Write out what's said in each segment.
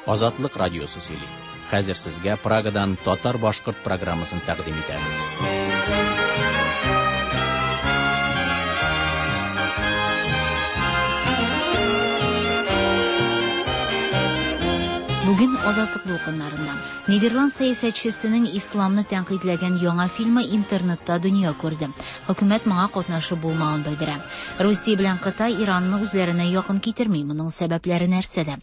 Азатлык радиосы сөйли. Хәзер сезгә Прагадан татар-башкорт программасын тәкъдим итәбез. Бүген Азатлык дулкыннарында. Нидерланд сәясәтчесенең исламны тәнкыйтьләгән яңа фильмы интернетта дөнья күрде. Хөкүмәт моңа катнашы булмавын белдерә. Русия белән Кытай Иранны үзләренә якын китерми. Моның сәбәпләре нәрсәдә?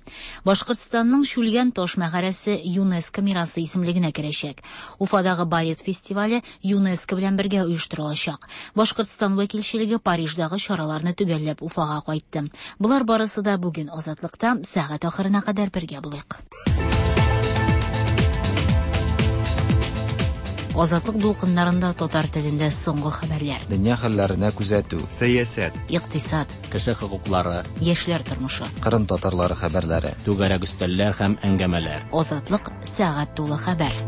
Башкортстанның Шүлгән таш мәгарәсе ЮНЕСКО мирасы исемлегенә керәчәк. Уфадагы балет фестивале ЮНЕСКО белән бергә оештырылачак. Башкортстан вәкилчелеге Париждагы чараларны төгәлләп Уфага кайтты. Болар барысы да бүген Азатлыкта сәгать ахырына кадәр бергә булыйк. Азатлык дулкыннарында татар телендә соңгы хәбәрләр. Дөнья хәлләренә күзәтү. Сәясәт. Икътисад. Кеше хокуклары. Яшьләр тормышы. Кырым татарлары хәбәрләре. Түгәрәк өстәлләр һәм әңгәмәләр. Азатлык сәгать тулы хәбәр.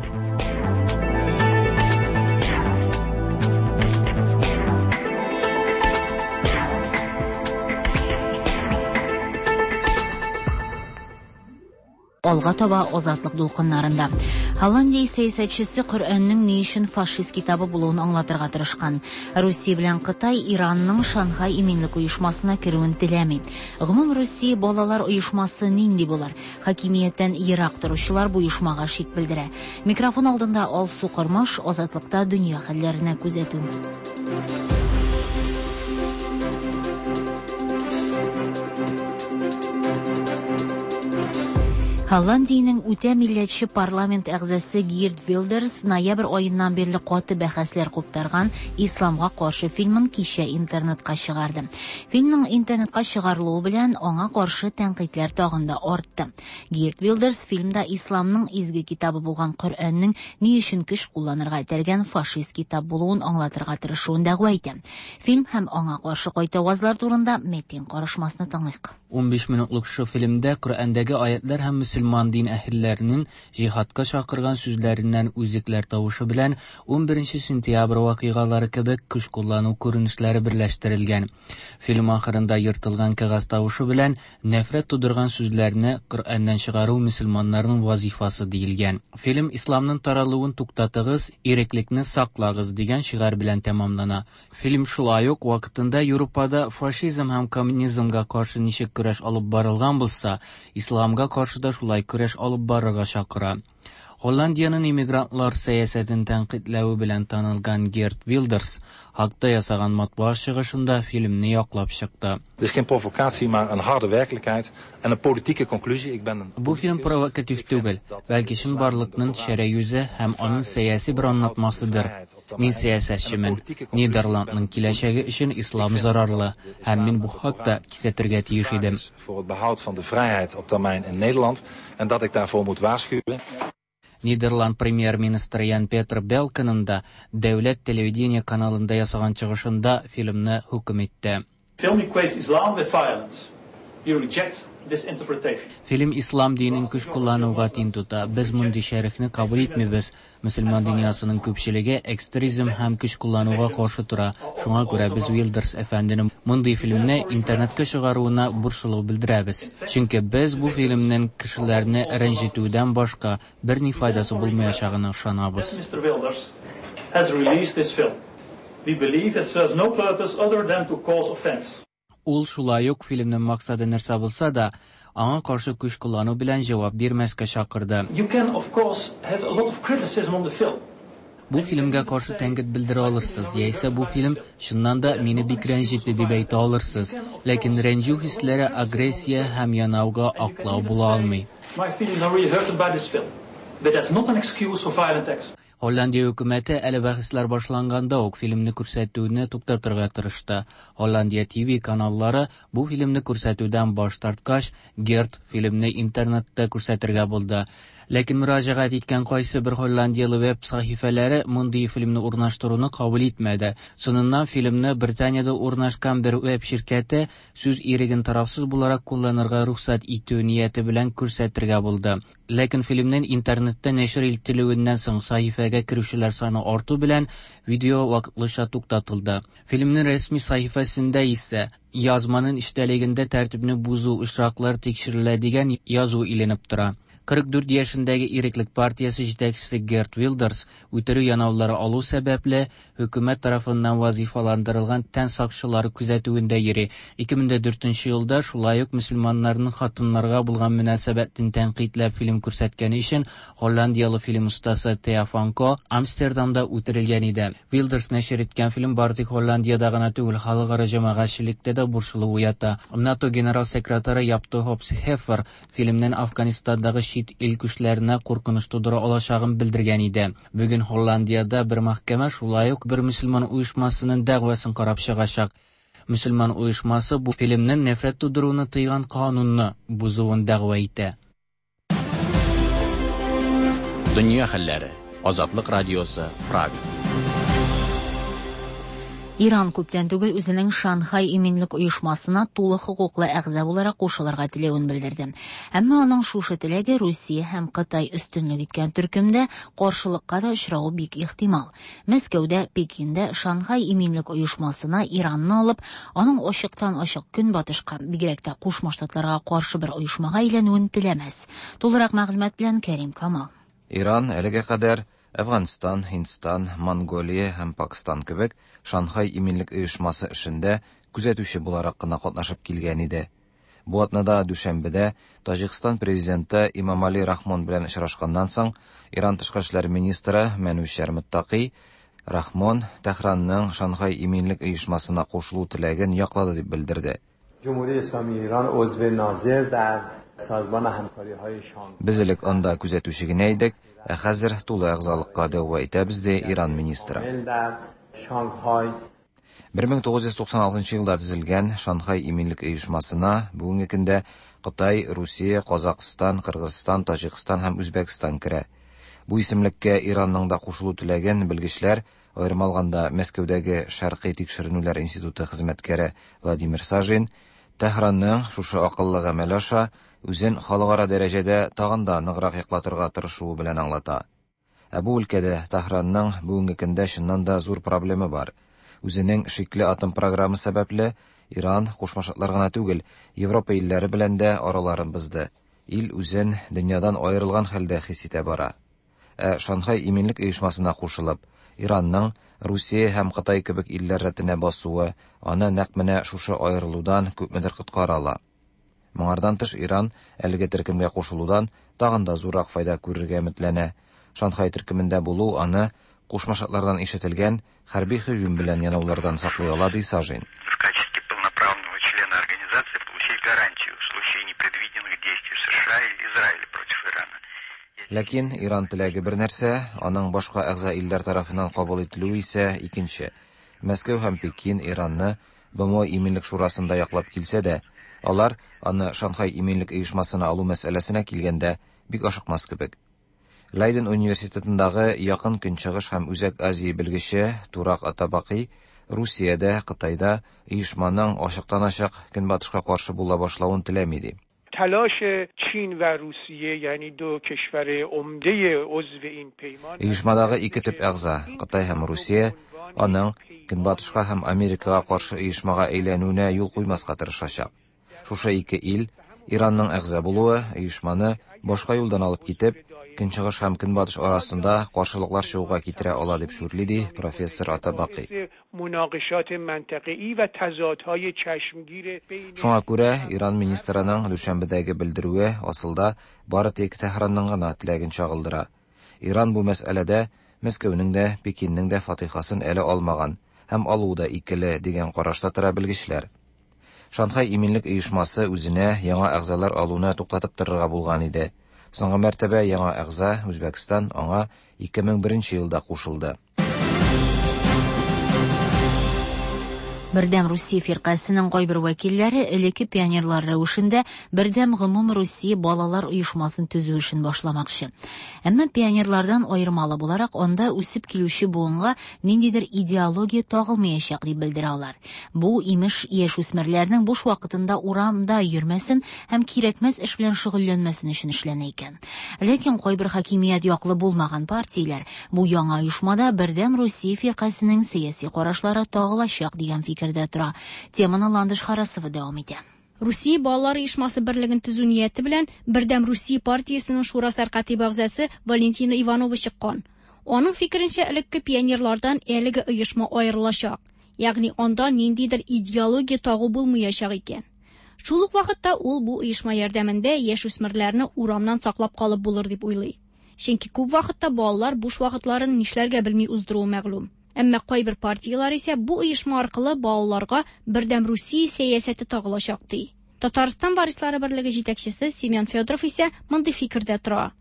Алга таба Азатлык дулкыннарында. Голландия сәясәтчесе Коръәннең ни өчен фашист китабы булуын аңлатырга тырышкан. Русия белән Кытай Иранның Шанхай иминлек оешмасына керүен теләми. Гомум Русия балалар оешмасы нинди булыр? Хакимияттән ерак торучылар бу оешмага шик белдерә. Микрофон алдында Алсу Кормаш, Азатлыкта дөнья хәлләренә күзәтү. Голландиянең үтә милләтче парламент әгъзасы Гирт Вилдерс ноябрь аеннан бирле каты бәхәсләр куптарган Исламга каршы фильмын кичә интернетка чыгарды. Фильмның интернетка чыгарылуы белән аңа каршы тәнкыйтьләр тагын да артты. Гирт Вилдерс фильмда исламның изге китабы булган Коръәннең ни өчен көч кулланырга этәргән фашист китап булуын аңлатырга тырышуын дәгъва итә. Фильм һәм аңа каршы кайтавазлар турында Метин карышмасны тыңлыйк. 15 минутлык шушы фильмдә Коръәндәге аятлар һәм мөселман дин әһелләренең җиһадка чакырган сүзләреннән үзекләр тавышы белән 11 сентябрь вакыйгалары кебек көч куллану күренешләре берләштерелгән. Фильм ахырында ертылган кәгазь тавышы белән нәфрәт тудырган сүзләрне Коръәннән чыгару мөселманнарның вазифасы диелгән. Фильм исламның таралуын туктатыгыз, иреклекне саклагыз дигән шигарь белән тәмамлана. Фильм шулай ук вакытында Европада фашизм һәм коммунизмга каршы ничек көрәш алып барылган булса, исламга каршы да шулай көрәш алып барырга чакыра. Голландиянең иммигрантлар сәясәтен тәнкыйтьләве белән танылган Герт Вилдерс хакта ясаган матбугат чыгышында фильмны яклап чыкты. Het is geen provocatie, maar een harde werkelijkheid en een politieke conclusie. Ik ben een Бу фильм провокатив түгел, бәлки чынбарлыкның шәрә йөзе һәм аның сәяси бер аңлатмасыдыр. Мин сәясәтчемен. Нидерландның киләчәге өчен ислам зарарлы, һәм мин бу хакта кисәтергә тиеш идем. Voor het behoud van de vrijheid op termijn in Nederland en dat ik daarvoor moet waarschuwen. Нидерланд премьер-министры Ян Петр Белкенның да дәүләт телевидение каналында ясаган чыгышында фильмны хөкем итте. Film equates Islam with violence. We reject this interpretation. Фильм ислам динен көч куллануга тиң тота. Без мондый шәрехне кабул итмибез. Мөселман дөньясының күпчелеге экстремизм һәм көч куллануга каршы тора. Шуңа күрә без Вилдерс әфәнденең мондый фильмны интернетка чыгаруына борчылу белдерәбез. Чөнки без бу фильмнең кешеләрне рәнҗетүдән башка берни файдасы булмаячагына ышанабыз. Mr. Wilders has released this film. We believe it serves no purpose other than to cause offense. Ул шулай ук фильмның максаты нәрсә булса да, аңа каршы көч куллану белән җавап бирмәскә чакырды. You can, of course, have a lot of criticism on the film. Бу фильмгә каршы тәнкыйть белдерә алырсыз, яисә бу фильм чыннан да мине бик рәнҗетте дип әйтә алырсыз. Ләкин рәнҗү хисләре агрессия һәм янауга аклау була алмый. My feelings are really hurt by this film, but that's not an excuse for violent acts. Голландия хөкүмәте әле бәхәсләр башланганда ук фильмны күрсәтүне туктатырга тырышты. Голландия ТВ каналлары бу фильмны күрсәтүдән баш тарткач, Герт фильмны интернетта күрсәтергә булды. Ләкин мөрәҗәгать иткән кайсы бер голландиялы веб сәхифәләре мондый фильмны урнаштыруны кабул итмәде. Соңыннан фильмны Британиядә урнашкан бер веб ширкәте сүз иреген тарафсыз буларак кулланырга рөхсәт итү нияте белән күрсәтергә булды. Ләкин фильмнең интернетта нәшер ителүеннән соң сәхифәгә керүчеләр саны арту белән видео вакытлыча туктатылды. Фильмнең рәсми сәхифәсендә исә язманың эчтәлегендә тәртипне бозу очраклары тикшерелә дигән язу иленеп тора. 44 яшендәге Иреклек партиясе җитәкчесе Герт Вилдерс үтерү янаулары алу сәбәпле, хөкүмәт тарафыннан вазифаландырылган тән сакчылары күзәтүендә йөри. 2004 елда шулай ук мөселманнарның хатыннарга булган мөнәсәбәтен тәнкыйтьләп фильм күрсәткәне өчен голландияле фильм остасы Теа Фанко Амстердамда үтерелгән иде. Вилдерс нәшер иткән фильм бары тик Голландиядә гына түгел, халыкара җәмәгатьчелектә дә борчылу уята. НАТО генерал секретаре Яп де Хоп Хефер фильмнең Афганистандагы чит ил көчләренә куркыныч тудыра алачагын белдергән иде. Бүген Голландиядә бер мәхкәмә шулай ук бер мөселман оешмасының дәгъвасын карап чыгачак. Мөселман оешмасы бу фильмнең нәфрәт тудыруны тыйган канунны бозуын дәгъва итә. Дөнья хәлләре. Азатлык радиосы, Прага. Иран күптән түгел үзенең Шанхай иминлек оешмасына тулы хокуклы әгъза буларак кушылырга теләвен белдерде. Әмма аның шушы теләге Русия һәм Кытай өстенлек иткән төркемдә каршылыкка да очравы бик ихтимал. Мәскәүдә, Пекинда Шанхай иминлек оешмасына Иранны алып, аның ачыктан-ачык көнбатышка, бигрәк тә Кушма Штатларга каршы бер оешмага әйләнүен теләмәс. Тулырак мәгълүмат белән Кәрим Камал. Иран әлегә кадәр Әфганстан, Һиндстан, Монголия һәм Пакстан кебек Шанхай иминлек оешмасы эшендә күзәтүче буларак кына катнашып килгән иде. Бу атнада дүшәмбедә Таҗикстан президенты Имамали Рахмон белән очрашканнан соң Иран тышкы эшләр министры Мәнүчәр Мөттаки Рахмон Тәһранның Шанхай иминлек оешмасына кушылу теләген яклады дип белдерде. Без элек анда күзәтүче генә идек, ә хәзер тулы әгъзалыкка дәгъва итәбез, ди Иран министры. 1996 елда төзелгән Шанхай иминлек оешмасына бүгенге көндә Кытай, Русия, Казакъстан, Кыргызстан, Таҗикстан һәм Үзбәкстан керә. Бу исемлеккә Иранның да кушылу теләген белгечләр, аерым алганда Мәскәүдәге Шәркый тикшеренүләр институты хезмәткәре Владимир Сажин, Тәһранның шушы акыллы гамәле аша үзен халыкара дәрәҗәдә тагын да ныграк яклатырга тырышуы белән аңлата. Ә бу өлкәдә Тәһранның бүгенге көндә чыннан да зур проблемы бар. Үзенең шикле атом програмы сәбәпле, Иран Кушма Штатлар гына түгел, Европа илләре белән дә араларын бозды. Ил үзен дөньядан аерылган хәлдә хис итә бара. Ә Шанхай иминлек оешмасына кушылып, Иранның Русия һәм Кытай кебек илләр рәтенә басуы аны нәкъ менә шушы аерылудан күпмедер коткара ала. Моңардан тыш Иран әлеге төркемгә кушылудан тагын да зуррак файда күрергә өметләнә. Шанхай төркемендә булу аны Кушма Штатлардан ишетелгән хәрби һөҗүм белән янаулардан саклый ала, ди Сажин. В качестве полноправного члена организации получить гарантию в случае непредвиденных действий США или Израиля против Ирана. Ләкин Иран теләге бер нәрсә, аның башка әгъза илләр тарафыннан кабул ителүе исә икенче. Мәскәү һәм Пекин Иранны БМО Иминлек шурасында яклап килсә дә, алар аны Шанхай иминлек оешмасына алу мәсьәләсенә килгәндә бик ашыкмас кебек. Лейден университетындагы Якын Көнчыгыш һәм Үзәк Азия белгече Турак Атабаки Русиядә, Кытайда оешманың ачыктан-ачык Көнбатышка каршы була башлавын теләми ди. Оешмадагы ике төп әгъза, Кытай һәм Русия, аның Көнбатышка һәм Америкага каршы оешмага әйләнүенә юл куймаска тырышачак. Шушы ике ил Иранның әгъза булуы оешманы башка юлдан алып китеп, Көнчыгыш һәм Көнбатыш арасында каршылыклар чыгуга китерә ала дип шүрли, ди профессор Атабаки. Шуңа күрә Иран министрының дүшәмбедәге белдерүе асылда бары тик Тәһранның гына теләген чагылдыра. Иран бу мәсьәләдә Мәскәүнең дә, Пекиннең дә фатихасын әле алмаган һәм алуы да икеле дигән карашта тора белгечләр. Шанхай иминлек оешмасы үзенә яңа әгъзалар алуны туктатып торырга булган иде. Соңгы мәртәбә яңа әгъза Үзбәкстан аңа 2001 елда кушылды. Бердәм Русия фиркасенең кайбер вәкилләре элекке пионерлар рәвешендә Бердәм гомум Русия балалар оешмасын төзү эшен башламакчы. Әмма пионерлардан аермалы буларак, анда үсеп килүче буынга ниндидер идеология тагылмаячак дип белдерә алар. Бу имеш яшүсмерләрнең буш вакытында урамда йөрмәсен һәм кирәкмәс эш белән шөгыльләнмәсен өчен эшләнә икән. Ләкин кайбер хакимият яклы булмаган партияләр бу яңа оешмада Бердәм Русия фиркасенең сәяси карашлары тагылачак дигән фикердә тора. Теманы Ландыш Харасова дәвам итә. Русия балалар оешмасы берлеген төзү нияте белән Бердәм Русия партиясенең шура сәркатибе әгъзасы Валентина Иванова чыккан. Аның фикеренчә, элекке пионерлардан әлеге оешма аерылачак. Ягъни анда ниндидер идеология тагу булмаячак икән. Шул ук вакытта ул бу оешма ярдәмендә яшүсмерләрне урамнан саклап калып булыр дип уйлый. Чөнки күп вакытта балалар буш вакытларын нишләргә белми уздыруы мәгълүм. Әмма кайбер партияләр исә бу оешма аркылы балаларга Бердәм Русия сәясәте тагылачак ди. Татарстан варислары берлеге җитәкчесе Семен Федоров исә мондый фикердә тора.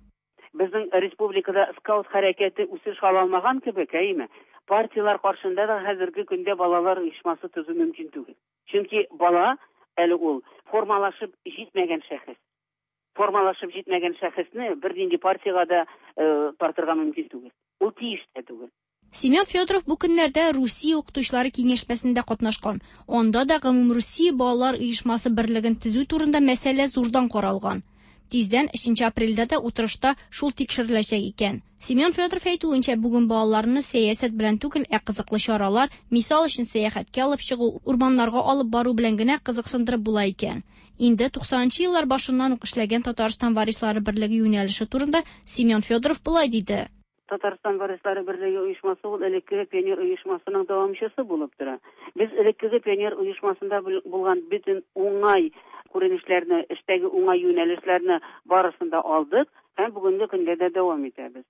Безнең республикада скаут хәрәкәте үсеш ала алмаган кебек, әйеме? Партияләр каршында да хәзерге көндә балалар оешмасы төзү мөмкин түгел. Чөнки бала әле ул формалашып җитмәгән шәхес. Формалашып җитмәгән шәхесне бернинди партиягә дә тартырга мөмкин түгел. Ул тиеш тә түгел. Семен Федоров бу көннәрдә Русия укытучылары киңәшмәсендә катнашкан. Анда да Гомумрусия балалар оешмасы берлеген төзү турында мәсьәлә зурдан каралган. Тиздән 3 апрельдә дә утырышта шул тикшереләчәк икән. Семен Федоров әйтүенчә, бүген балаларны сәясәт белән түгел, ә кызыклы чаралар, мисал өчен сәяхәткә алып чыгу, урманнарга алып бару белән генә кызыксындырып була икән. Инде 90 еллар башыннан ук эшләгән Татарстан варислары берлеге юнәлеше турында Семен Федоров болай диде. Татарстан варислары берлеге оешмасы ул элеккеге пионер оешмасының дәвамчысы булып тора. Без элеккеге пионер оешмасында булган бөтен уңай күренешләрне, эштәге уңай юнәлешләрне барысын да алдык һәм бүгенге көндә дә дәвам итәбез.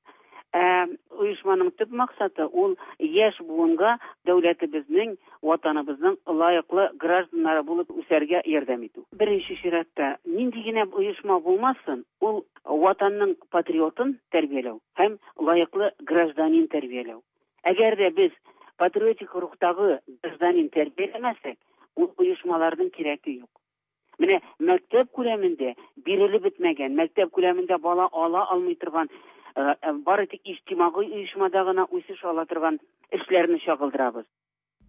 Оешманың төп максаты ул яшь буынга дәүләтебезнең, ватаныбызның лаеклы гражданнары булып үсәргә ярдәм итү. Беренче чиратта нинди генә оешма булмасын, ул ватанның патриотын тәрбияләү һәм лаеклы гражданин тәрбияләү. Әгәр дә без патриотик рухтагы гражданин тәрбияләмәсәк, ул оешмаларның кирәге юк. Менә мәктәп күләмендә бирелеп бетмәгән, мәктәп күләмендә бала ала алмый торган, бары тик иҗтимагый оешмада гына үсеш ала торган эшләрне чагылдырабыз.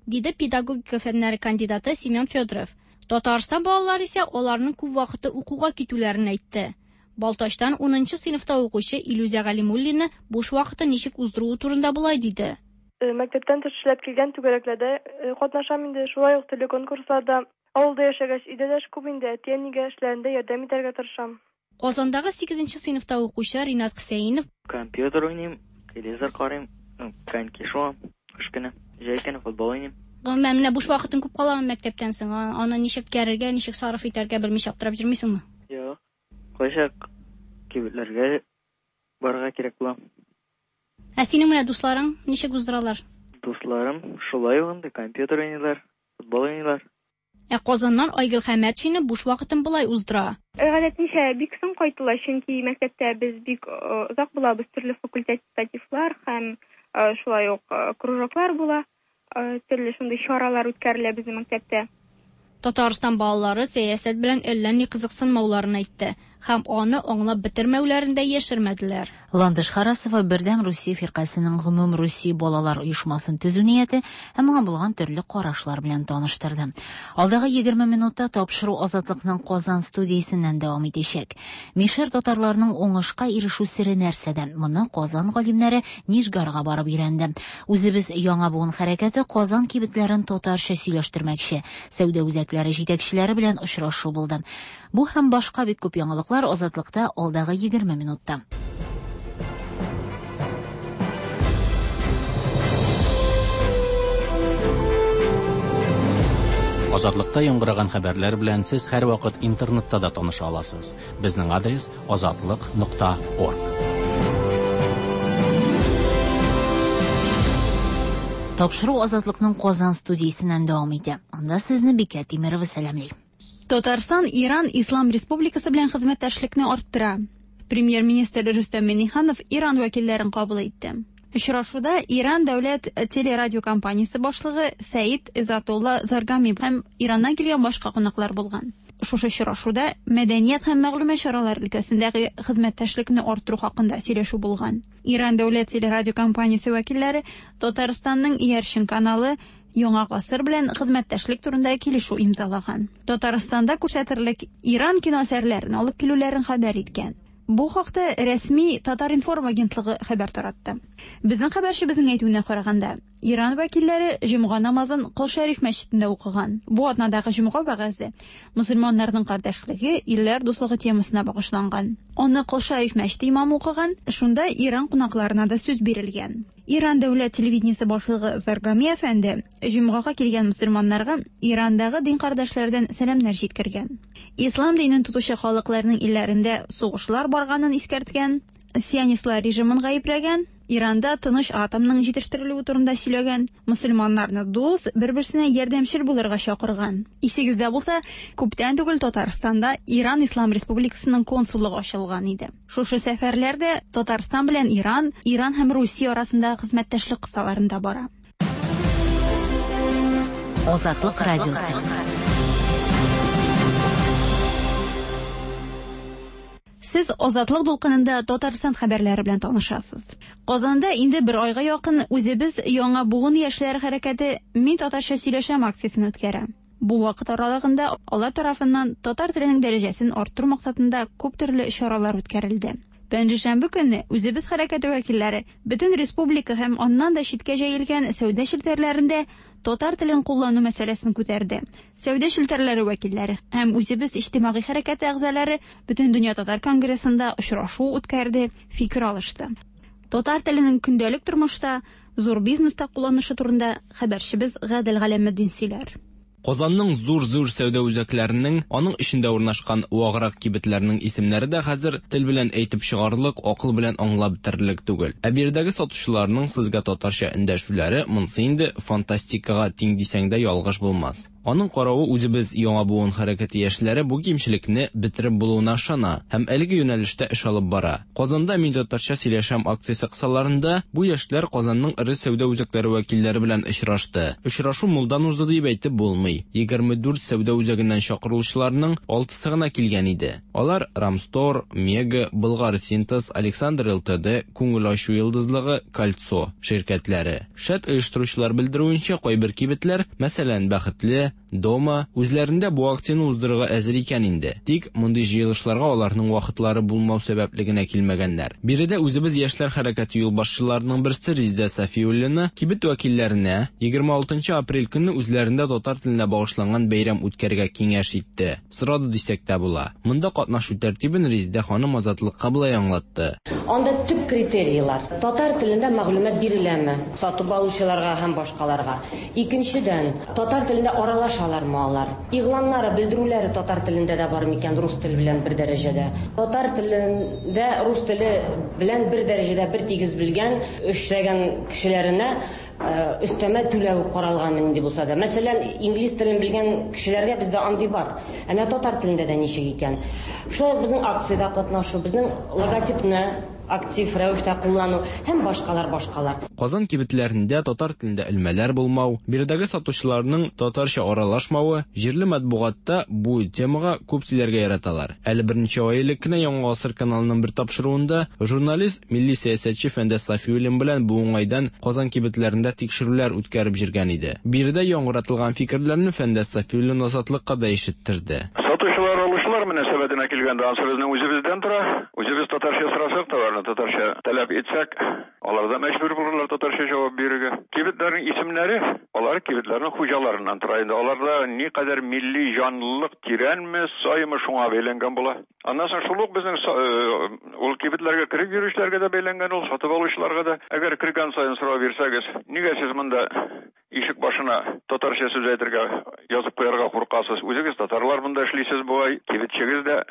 Диде педагогика фәннәре кандидаты Семен Федоров. Татарстан балалары исә аларның күп вакыты укуга китүләрен әйтте. Балтачтан 10 сыйныфта укучы Илюзә Галимуллина буш вакытын ничек уздыруы турында болай диде. Мәктәптән тыш эшләп килгән түгәрәкләрдә катнашам инде, шулай ук төрле конкурсларда. Авылда яшәгәч, өйдә дә эш күп инде, әти-әнигә эшләрендә ярдәм итәргә тырышам. Казандагы 8 сыйныфта укучы Ринат Хөсәенов: Компьютер уйныйм, телевизор карыйм, коньки шуам, кыш көне, җәй көне футбол уйныйм. Гомумән, менә буш вакытың күп каламы мәктәптән соң? Аны ничек үткәрергә, ничек сарыф итәргә белмичә аптырап йөрмисеңме? Юк. Кайчак кибетләргә барырга кирәк була. Ә синең менә дусларың ничек уздыралар? Дусларым шулай ук инде компьютер уйныйлар, футбол уйныйлар. Ә Казаннан Айгөл Хәмәтшина буш вакытын болай уздыра. Гадәтенчә бик соң кайтыла, чөнки мәктәптә без бик озак булабыз, төрле факультативлар һәм шулай ук кружоклар була, төрле шундый чаралар үткәрелә безнең мәктәптә. Татарстан балалары сәясәт белән әллә ни кызыксынмауларын әйтте һәм аны аңлап бетермәүләрен дә яшермәделәр. Ландыш Харасова Бердәм Русия фиркасының Гомум Русия балалар оешмасын төзү нияте һәм моңа булган төрле карашлар белән таныштырды. Алдагы 20 минутта тапшыру Азатлыкның Казан студиясеннән дәвам итәчәк. Мишәр татарларының уңышка ирешү сере нәрсәдә? Моны Казан галимнәре Нижгарга барып өйрәнде. Үзебез яңа буын хәрәкәте Казан кибетләрен татарча сөйләштермәкче. Сәүдә үзәкләре җитәкчеләре белән очрашу булды. Бу һәм башка бик күп яңалыклар Азатлыкта алдагы 20 минутта. Азатлыкта яңгыраган хәбәрләр белән сез һәрвакыт интернетта да таныша аласыз. Безнең адрес azatliq.org. Тапшыру Азатлыкның Казан студиясеннән дәвам итә. Анда сезне Бикә Тимирова сәламли. Татарстан Иран Ислам Республикасы белән хезмәттәшлекне арттыра. Премьер-министр Рөстәм Миңнеханов Иран вәкилләрен кабул итте. Очрашуда Иран дәүләт телерадиокомпаниясе башлыгы Сәид Изатулла Заргами һәм Ираннан килгән башка кунаклар булган. Шушы очрашуда мәдәният һәм мәгълүмат чаралары өлкәсендәге хезмәттәшлекне арттыру хакында сөйләшү булган. Иран дәүләт телерадиокомпаниясе вәкилләре Татарстанның иярчен каналы Яңа гасыр белән хезмәттәшлек турында килешү имзалаган. Татарстанда күрсәтерлек Иран кино әсәрләрен алып килүләрен хәбәр иткән. Бу хакта рәсми Татар-информ агентлыгы хәбәр таратты. Безнең хәбәрчебезнең әйтүенә караганда, Иран вәкилләре җомга намазын Кол Шәриф мәчетендә укыган. Бу атнадагы җомга вәгазе мөселманнарның кардәшлеге, илләр дуслыгы темасына багышланган. Аны Кол Шәриф мәчете имамы укыган, шунда Иран кунакларына да сүз бирелгән. Иран дәүләт телевидениесе башлыгы Заргами әфәнде җомгага килгән мөселманнарга Ирандагы дин кардәшләрдән сәламнәр җиткергән. Ислам динен тотучы халыкларның илләрендә сугышлар барганын искәрткән, сионистлар режимын гаепләгән, Иранда тыныч атомның җитештерелүе турында сөйләгән, мөселманнарны дус, бер-берсенә ярдәмчел булырга чакырган. Исегездә булса, күптән түгел Татарстанда Иран Ислам Республикасының консуллыгы ачылган иде. Шушы сәфәрләр дә Татарстан белән Иран, Иран һәм Русия арасындагы хезмәттәшлек кысаларында бара. Азатлык радиосы. Сез Азатлык дулкынында Татарстан хәбәрләре белән танышасыз. Казанда инде бер айга якын үзебез Яңа буын яшьләре хәрәкәте Мин татарча сөйләшәм акциясен үткәрә. Бу вакыт аралыгында алар тарафыннан татар теленең дәрәҗәсен арттыру максатында күп төрле чаралар үткәрелде. Пәнҗешәмбе көнне үзебез хәрәкәте вәкилләре бөтен республика һәм аннан да читкә җәелгән сәүдә челтәрләрендә татар телен куллану мәсьәләсен күтәрде. Сәүдә челтәрләре вәкилләре һәм үзебез иҗтимагый хәрәкәте әгъзалары Бөтендөнья татар конгрессында очрашу үткәрде, фикер алышты. Татар теленең көндәлек тормышта, зур бизнеста кулланышы турында хәбәрчебез Гадел Галәметдин сөйләр. Казанның зур-зур сәүдә үзәкләренең, аның эчендә урнашкан ваграк кибетләрнең исемнәре дә хәзер тел белән әйтеп чыгарлык, акыл белән аңлап бетерерлек түгел. Ә биредәге сатучыларның сезгә татарча эндәшүләре монсы инде фантастикага тиң дисәң дә ялгыш булмас. Аның каравы үзебез Яңа буын хәрәкәте яшьләре бу кимчелекне бетереп булуына ышана һәм әлеге юнәлештә эш алып бара. Казанда Мин татарча сөйләшәм акциясе кысаларында бу яшьләр Казанның эре сәүдә үзәкләре вәкилләре белән очрашты. Очрашу мулдан узды дип әйтеп булмый. 24 сәүдә үзәгеннән чакырылучыларның алтысы гына килгән иде. Алар Рамстор, Мега, Болгар Синтез, Александр ЛТД, Күңел ачу йолдызлыгы, Кольцо ширкәтләре. Шәт оештыручылар белдерүенчә, кайбер кибетләр, мәсәлән, Бәхетле, Дома, үзләрендә бу акцияне уздырырга әзер икән инде. Тик мондый җыелышларга аларның вакытлары булмау сәбәпле генә килмәгәннәр. Биредә үзебез яшьләр хәрәкәте юлбашчыларының берсе Резидә Сафиуллина кибет вәкилләренә 26 нчы апрель көнне үзләрендә татар теленә багышланган бәйрәм үткәрергә киңәш итте. Сорады дисәк тә була. Монда катнашу тәртибен Резидә ханым Азатлыкка болай аңлатты. Анда төп критерийлар, татар телендә мәгълүмат биреләме сатып алучыларга һәм башкаларга. Икенчедән, татар телендә аралашалармы алар? Игъланнары, белдерүләре татар телендә дә бар микән, рус теле белән бер дәрәҗәдә? Татар телендә рус теле белән бер дәрәҗәдә, бер тигез белгән, эшләгән кешеләренә Өстәмә түләү каралганмы нинди булса да. Мәсәлән, инглиз телен белгән кешеләргә бездә андый бар. Ә менә татар телендә дә ничек икән? Шулай ук безнең акциядә катнашу, безнең логотипны актив рәвештә куллану һәм башкалар, башкалар. Казан кибетләрендә татар телендә элмәләр булмау, биредәге сатучыларның татарча аралашмавы, җирле матбугатта бу темага күп сөйләргә яраталар. Әле берничә ай элек кенә Яңа гасыр каналының бер тапшыруында журналист, Милли сәясәтче Фәндәс Сафиуллин белән бу уңайдан Казан кибетләрендә тикшерүләр үткәреп җөргән иде. Биредә яңгыратылган фикерләрне Фәндәс Сафиуллин Азатлыкка да ишеттерде. Сатучылар-алучылар мөнәсәбәтенә килгәндә, ансы безнең үзебездән тора. Үзебез татарча сорасак, товарны татарча таләп итсәк, алар да мәҗбүр булырлар татарча җавап бирергә. Кибетләрнең исемнәре, алар кибетләрнең хуҗаларыннан тора инде. Аларда никадәр милли җанлылык тирәнме, саймы, шуңа бәйләнгән була. Аннан соң шул ук безнең ул кибетләргә кереп йөрүчеләргә дә бәйләнгән ул, сатып алучыларга да. Әгәр кергән саен сорау бирсәгез, нигә сез монда ишек башына татарча сүз әйтергә, язып куярга куркасыз? Үзегез татарлар монда эшлисез бугай, кибетчегез дә,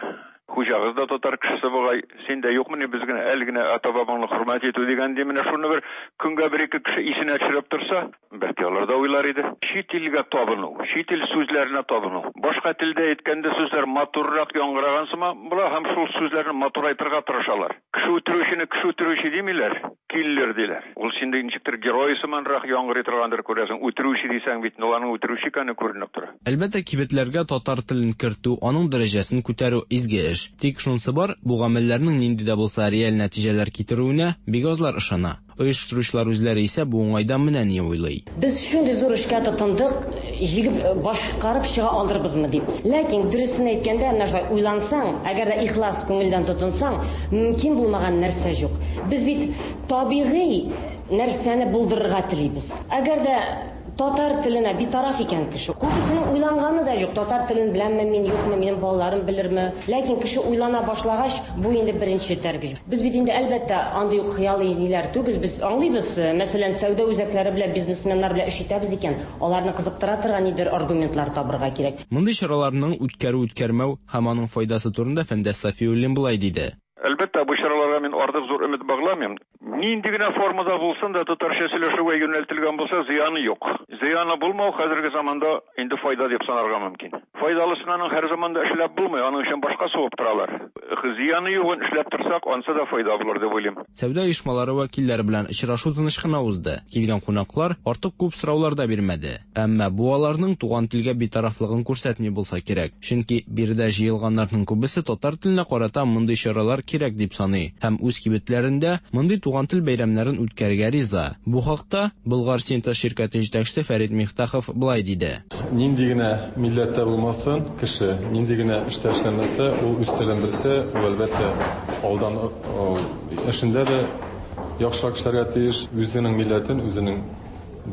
хуҗагыз да татар кешесе бугай. Син дә юкмыни без генә әле генә ата-бабаңны хөрмәт итү дигән ди. Менә шуны бер көнгә бер-ике кеше исенә төшереп торса, Бәлки алар да уйлар иде. Чит илгә табыну, чит ил сүзләренә табыну. Башка телдә әйткәндә сүзләр матуррак яңгыраган сыман була һәм шул сүзләрне матурайтырга тырышалар. Кеше үтерүчене кеше үтерүче димиләр, киллер диләр. Ул синдә ничектер герой сыманрак яңгырый торгандыр, күрәсең. Үтерүче дисәң бит, ул аның үтерүче икәне күренеп тора. Әлбәттә, кибетләргә татар телен кертү, аның дәрәҗәсен күтәрү, изге эш. Тик шунысы бар, бу гамәлләрнең нинди дә булса реаль нәтиҗәләр китерүенә бик азлар ышана. Оештыручылар үзләре исә бу уңайдан менә ни уйлый. Без шундый зур эшкә тотындык, җигеп башкарып чыга алырбызмы дип. Ләкин дөресен әйткәндә, менә шулай уйлансаң, әгәр дә ихлас күңелдән тотынсаң, мөмкин булмаган нәрсә юк. Без бит табигый нәрсәне булдырырга телибез. Әгәр дә татар теленә битараф икән кеше, күбесенең уйланганы да юк, татар телен беләмме мин, юкмы, минем балаларым белерме. Ләкин кеше уйлана башлагач, бу инде беренче этәргеч. Без бит инде, әлбәттә, андый ук хыялый ниләр түгел, без аңлыйбыз, мәсәлән, сәүдә үзәкләре белән, бизнесменнар белән эш итәбез икән, аларны кызыктыра торган нидер аргументлар табырга кирәк. Мондый чараларның үткәрү-үткәрмәү һәм аның файдасы турында Фәндәс Сафиуллин болай диде. Әлбәттә, бу чараларга мин артык зур өмет багламыйм. Нинди генә формада булсын да татарча сөйләшүгә юнәлтелгән булса, зыяны юк. Зыяны булмау хәзерге заманда инде файда дип санарга мөмкин. Файдалысын аның һәр заманда эшләп булмый, аның өчен башка сугып торалар. Зыяны югын эшләп торсак, ансы да файда булыр дип уйлыйм. Сәүдә оешмалары вәкилләре белән очрашу тыныч кына узды. Килгән кунаклар артык күп сораулар да бирмәде. Әмма бу аларның туган телгә битарафлыгын күрсәтми булса кирәк. Чөнки биредә җыелганнарның күбесе татар теленә карата мондый чаралар кирәк дип саный һәм үз кибетләрендә мондый туган тел бәйрәмнәрен үткәрергә риза. Бу хакта Болгар Синтез ширкәте җитәкчесе Фәрит Мифтахов болай диде. Нинди генә милләттә булмасын кеше, нинди генә эштә эшләмәсә, ул үз телен белсә, ул әлбәттә алдан эшендә дә яхшырак эшләргә тиеш. Үзенең милләтен, үзенең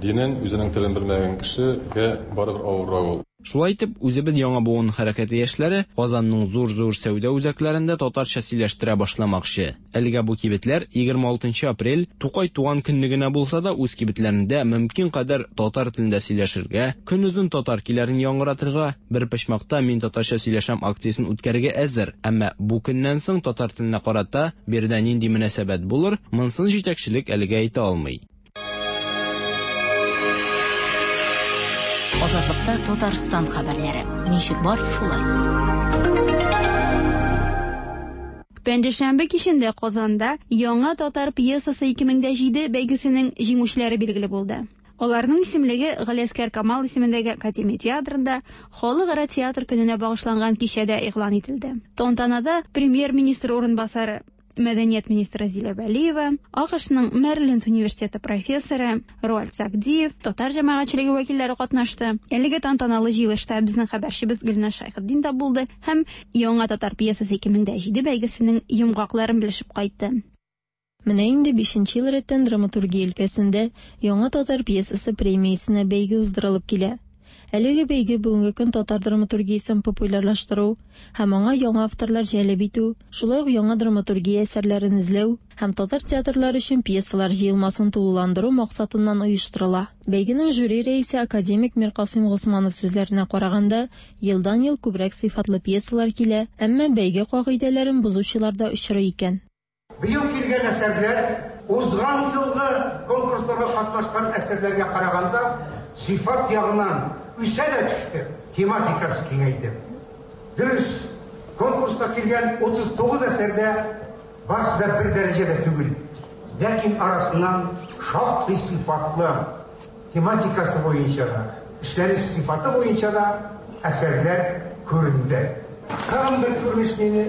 динен, үзенең телен белмәгән кешегә барыбер авыррак ул. Шулай итеп, үзебез яңа буын хәрәкәте яшьләре Казанның зур-зур сәүдә үзәкләрендә татарча сөйләштерә башламакчы. Әлегә бу кибетләр 26 апрель Тукай туган көнне генә булса да үз кибетләрендә мөмкин кадәр татар телендә сөйләшергә, көнозын татар көйләрен яңгыратырга, бер почмакта мин татарча сөйләшәм акциясен үткәрергә әзер. Әмма бу көннән соң татар теленә карата биредә нинди мөнәсәбәт булыр, монысын җитәкчелек әлегә әйтә алмый. Азатлыкта Татарстан хәбәрләре. Ничек бар, шулай. Пәнҗешәмбе кичендә Казанда Яңа татар пьесасы 2007 бәйгесенең җиңүчеләре билгеле булды. Аларның исемлеге Галиәсгар Камал исемендәге Академия театрында Халыкара театр көненә багышланган кичәдә игълан ителде. Тантанада премьер-министр урынбасары Мәдәният министры Зилә Вәлиева, АКШның Мэриленд университеты профессоры Роальд Сагдиев, татар җәмәгатьчелеге вәкилләре катнашты. Әлеге тантаналы җыелышта безнең хәбәрчебез Гөлназ Шәйхетдин да булды һәм Яңа татар пьесасы 2007 бәйгесенең йомгакларын белешеп кайтты. Менә инде бишенче ел рәттән драматургия өлкәсендә Яңа татар пьесасы премиясенә бәйге уздырылып килә. Әлеге бәйге бүгенге көн татар драматургиясен популярлаштыру һәм аңа яңа авторлар җәлеп итү, шулай ук яңа драматургия әсәрләрен эзләү һәм татар театрлары өчен пьесалар җыелмасын тулыландыру максатыннан оештырыла. Бәйгенең жюри рәисе академик Миркасыйм Госманов сүзләренә караганда, елдан-ел күбрәк сыйфатлы пьесалар килә, әмма бәйге кагыйдәләрен бозучылар да очрый икән. Быел килгән әсәрләр узган елгы конкурсларда катнашкан әсәрләргә караганда сыйфат ягыннан үсә дә төште, тематикасы киңәйде. Дөрес, конкурска килгән 39 әсәрдә барысы да бер дәрәҗәдә түгел. Ләкин арасыннан шактый сыйфатлы тематикасы буенча да, эшләнеш сыйфаты буенча да әсәрләр күренде. Тагын бер күренеш мине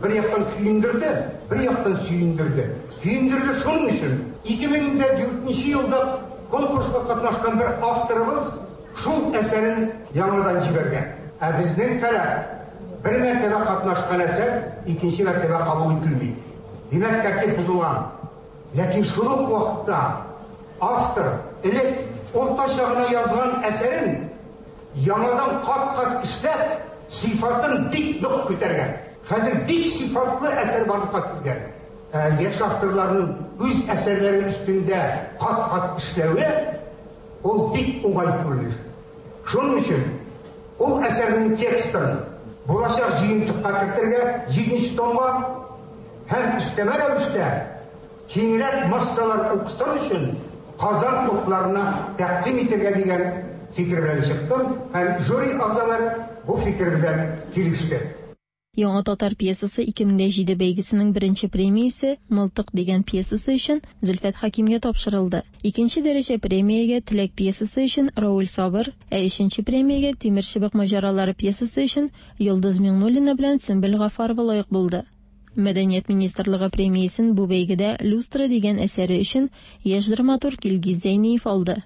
бер яктан көендерде, бер яктан сөендерде. Көендерде шуның өчен, 2004 елда конкурска катнашкан бер авторыбыз шул әсәрен яңадан җибәргән. Ә безнең таләп бер мәртәбә катнашкан әсәр икенче мәртәбә кабул ителми. Димәк, тәртип бозылган. Ләкин шул ук вакытта автор элек уртача гына язган әсәрен яңадан кат-кат эшләп, сыйфатын бик нык күтәргән. Хәзер бик сыйфатлы әсәр барлыкка килгән. Яшь авторларның үз әсәрләре өстендә кат-кат эшләве ул бик уңай күренеш. Шуның өчен ул әсәрнең текстын булачак җыентыкка кертергә, 7 томга һәм өстәмә рәвештә киңрәк массалар укысын өчен Казан утларына тәкъдим итәргә дигән фикер белән чыктым һәм жюри әгъзалары бу фикер белән килеште. Яңа татар пьесасы 2007 бәйгесенең беренче премиясе Мылтык дигән пьесасы өчен Зөлфәт Хәкимгә тапшырылды. Икенче дәрәҗә премиягә Теләк пьесасы өчен Рауль Сабыр, ә өченче премиягә Тимерчыбык маҗаралары пьесасы өчен Йолдыз Миңнуллина белән Сөмбел Гафарова лаек булды. Мәдәният министрлыгы премиясен бу бәйгедә Люстра дигән әсәре өчен яшь драматург Илгиз Зәйниев алды.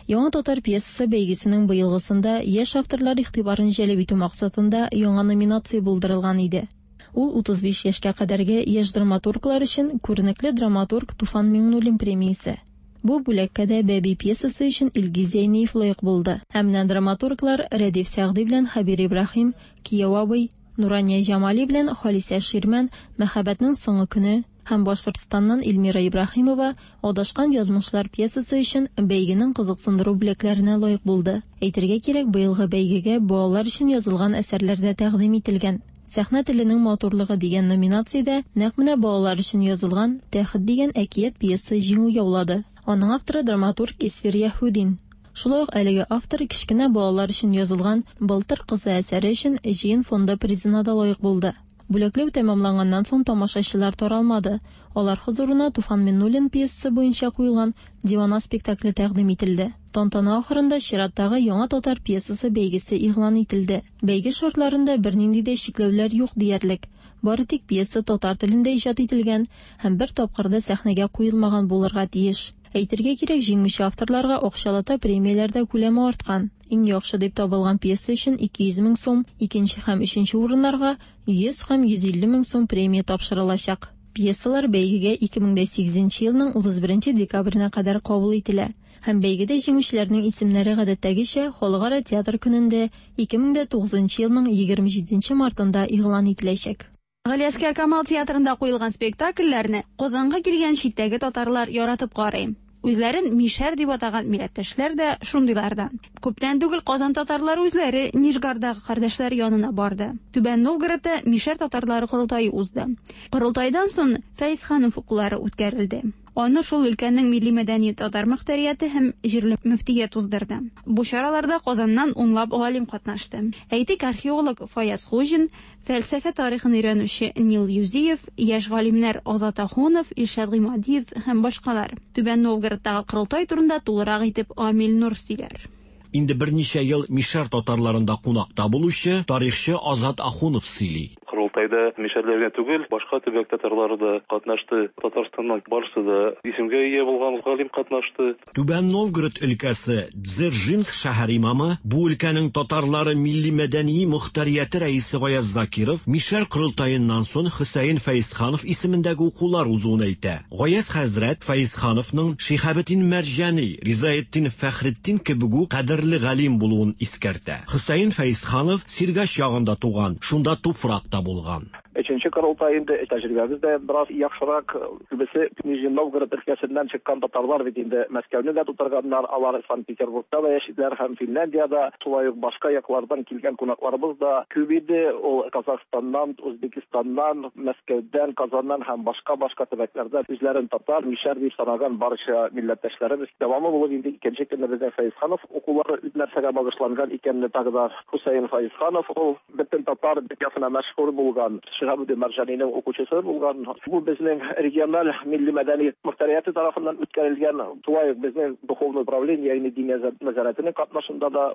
Яңа татар пьесасы бәйгесенең быелгысында яшь авторлар игътибарын җәлеп итү максатында яңа номинация булдырылган иде. Ул 35 яшькә кадәрге яшь драматурглар өчен күренекле драматург Туфан Миңнуллин премиясе. Бу бүләккә дә Бәби пьесасы өчен Илгиз Зәйниев лаек булды. Ә менә драматурглар Рәдиф Сәгъди белән Хәбир Ибраһим, Кияү абый, Нурания Җамали белән Халисә Ширмән, Мәхәббәтнең соңгы көне, һәм Башкортстаннан Эльмира Ибраһимова Адашкан язмышлар пьесасы өчен бәйгенең кызыксындыру бүләкләренә лаек булды. Әйтергә кирәк, быелгы бәйгегә балалар өчен язылган әсәрләр дә тәкъдим ителгән. Сәхнә теленең матурлыгы дигән номинациядә нәкъ менә балалар өчен язылган Тәхет дигән әкият-пьеса җиңү яулады. Аның авторы драматург Исфир Яһүдин. Шулай ук әлеге автор кечкенә балалар өчен язылган Былтыр кызы әсәре өчен Җыен фонды призына да лаек булды. Бүләкләү тәмамланганнан соң тамашачылар таралмады. Алар хозурына Туфан Миннуллин пьесасы буенча куелган Дивана спектакле тәкъдим ителде. Тантана ахырында чираттагы Яңа татар пьесасы бәйгесе игълан ителде. Бәйге шартларында бернинди дә чикләүләр юк диярлек. Бары тик пьеса татар телендә иҗат ителгән һәм бер тапкыр да сәхнәгә куелмаган булырга тиеш. Әйтергә кирәк, җиңүче авторларга акчалата премияләр дә күләме арткан. Иң яхшы дип табылган пьеса өчен 200 мең сум, икенче һәм өченче урыннарга 100 һәм 150 мең сум премия тапшырылачак. Пьесалар бәйгегә 2008 нче елның 31 декабренә кадәр кабул ителә һәм бәйгедә җиңүчеләрнең исемнәре гадәттәгечә Халыкара театр көнендә 2009 нчы елның 27 нче мартында игълан ителәчәк. Галиәсгар Камал театрында куелган спектакльләрне Казанга килгән читтәге татарлар яратып карый. Үзләрен мишәр дип атаган милләттәшләр дә шундыйлардан. Күптән түгел Казан татарлары үзләре Нижгардагы кардәшләре янына барды. Түбән Новгородта мишәр татарлары корылтае узды. Корылтайдан соң Фәезханов укулары үткәрелде. Аны шул өлкәнең милли-мәдәни татар мөхтәрияте һәм җирле мөфтият уздырды. Бу чараларда Казаннан унлап галим катнашты. Әйтик, археолог Фаяз Хуҗин, фәлсәфә тарихын өйрәнүче Нил Юзиев, яшь галимнәр Азат Ахунов, Илшат Гыймадиев һәм башкалар. Түбән Новгородтагы корылтай турында тулырак итеп Амил Нур сөйләр. Инде берничә ел мишәр татарларында кунакта булучы тарихчы Азат Ахунов сөйли. Корылтайда мишәрләр генә түгел, башка төбәк татарлары да катнашты. Татарстаннан барысы да исемгә ия булган галим катнашты. Түбән Новгород өлкәсе Дзержинск шәһәр имамы, бу өлкәнең татарлары милли-мәдәни мохтарияте рәисе Гаяз Закиров мишәр корылтаеннан соң Хөсәен Фәезханов исемендәге укулар узуын әйтә. Гаяз хәзрәт Фәезхановның Шиһабетдин Мәрҗани, Ризаэтдин Фәхретдин кебек үк кадерле галим булуын искәртә. Хөсәен Фәезханов Сергач ягында туган, шунда туфрак та булган. Өченче корылтай инде, тәҗрибәбез дә бераз яхшырак. Күбесе Нижний Новгород өлкәсеннән чыккан татарлар бит инде Мәскәүне дә тутырганнар, алар Санкт-Петербургта да яшиләр һәм Финляндиядә. Шулай ук башка яклардан килгән кунакларыбыз да күп иде. Ул Казахстаннан, Үзбекстаннан, Мәскәүдән, Казаннан һәм башка-башка төбәкләрдән үзләрен татар, мишәр дип санаган барча милләттәшләребез. Дәвамы булып инде икенче көнне безнең Фәезханов укулары нәрсәгә багышланган икәнне тагы да Хөсәен Фәезханов ул бөтен татар дөньясына мәшһүр булган Шиһабетдин Мәрҗанинең укучысы булган. Бу безнең региональ милли-мәдәни мөхтәрияте тарафыннан үткәрелгән, шулай ук безнең духовный управление, ягъни Диния нәзарәтенең катнашында да.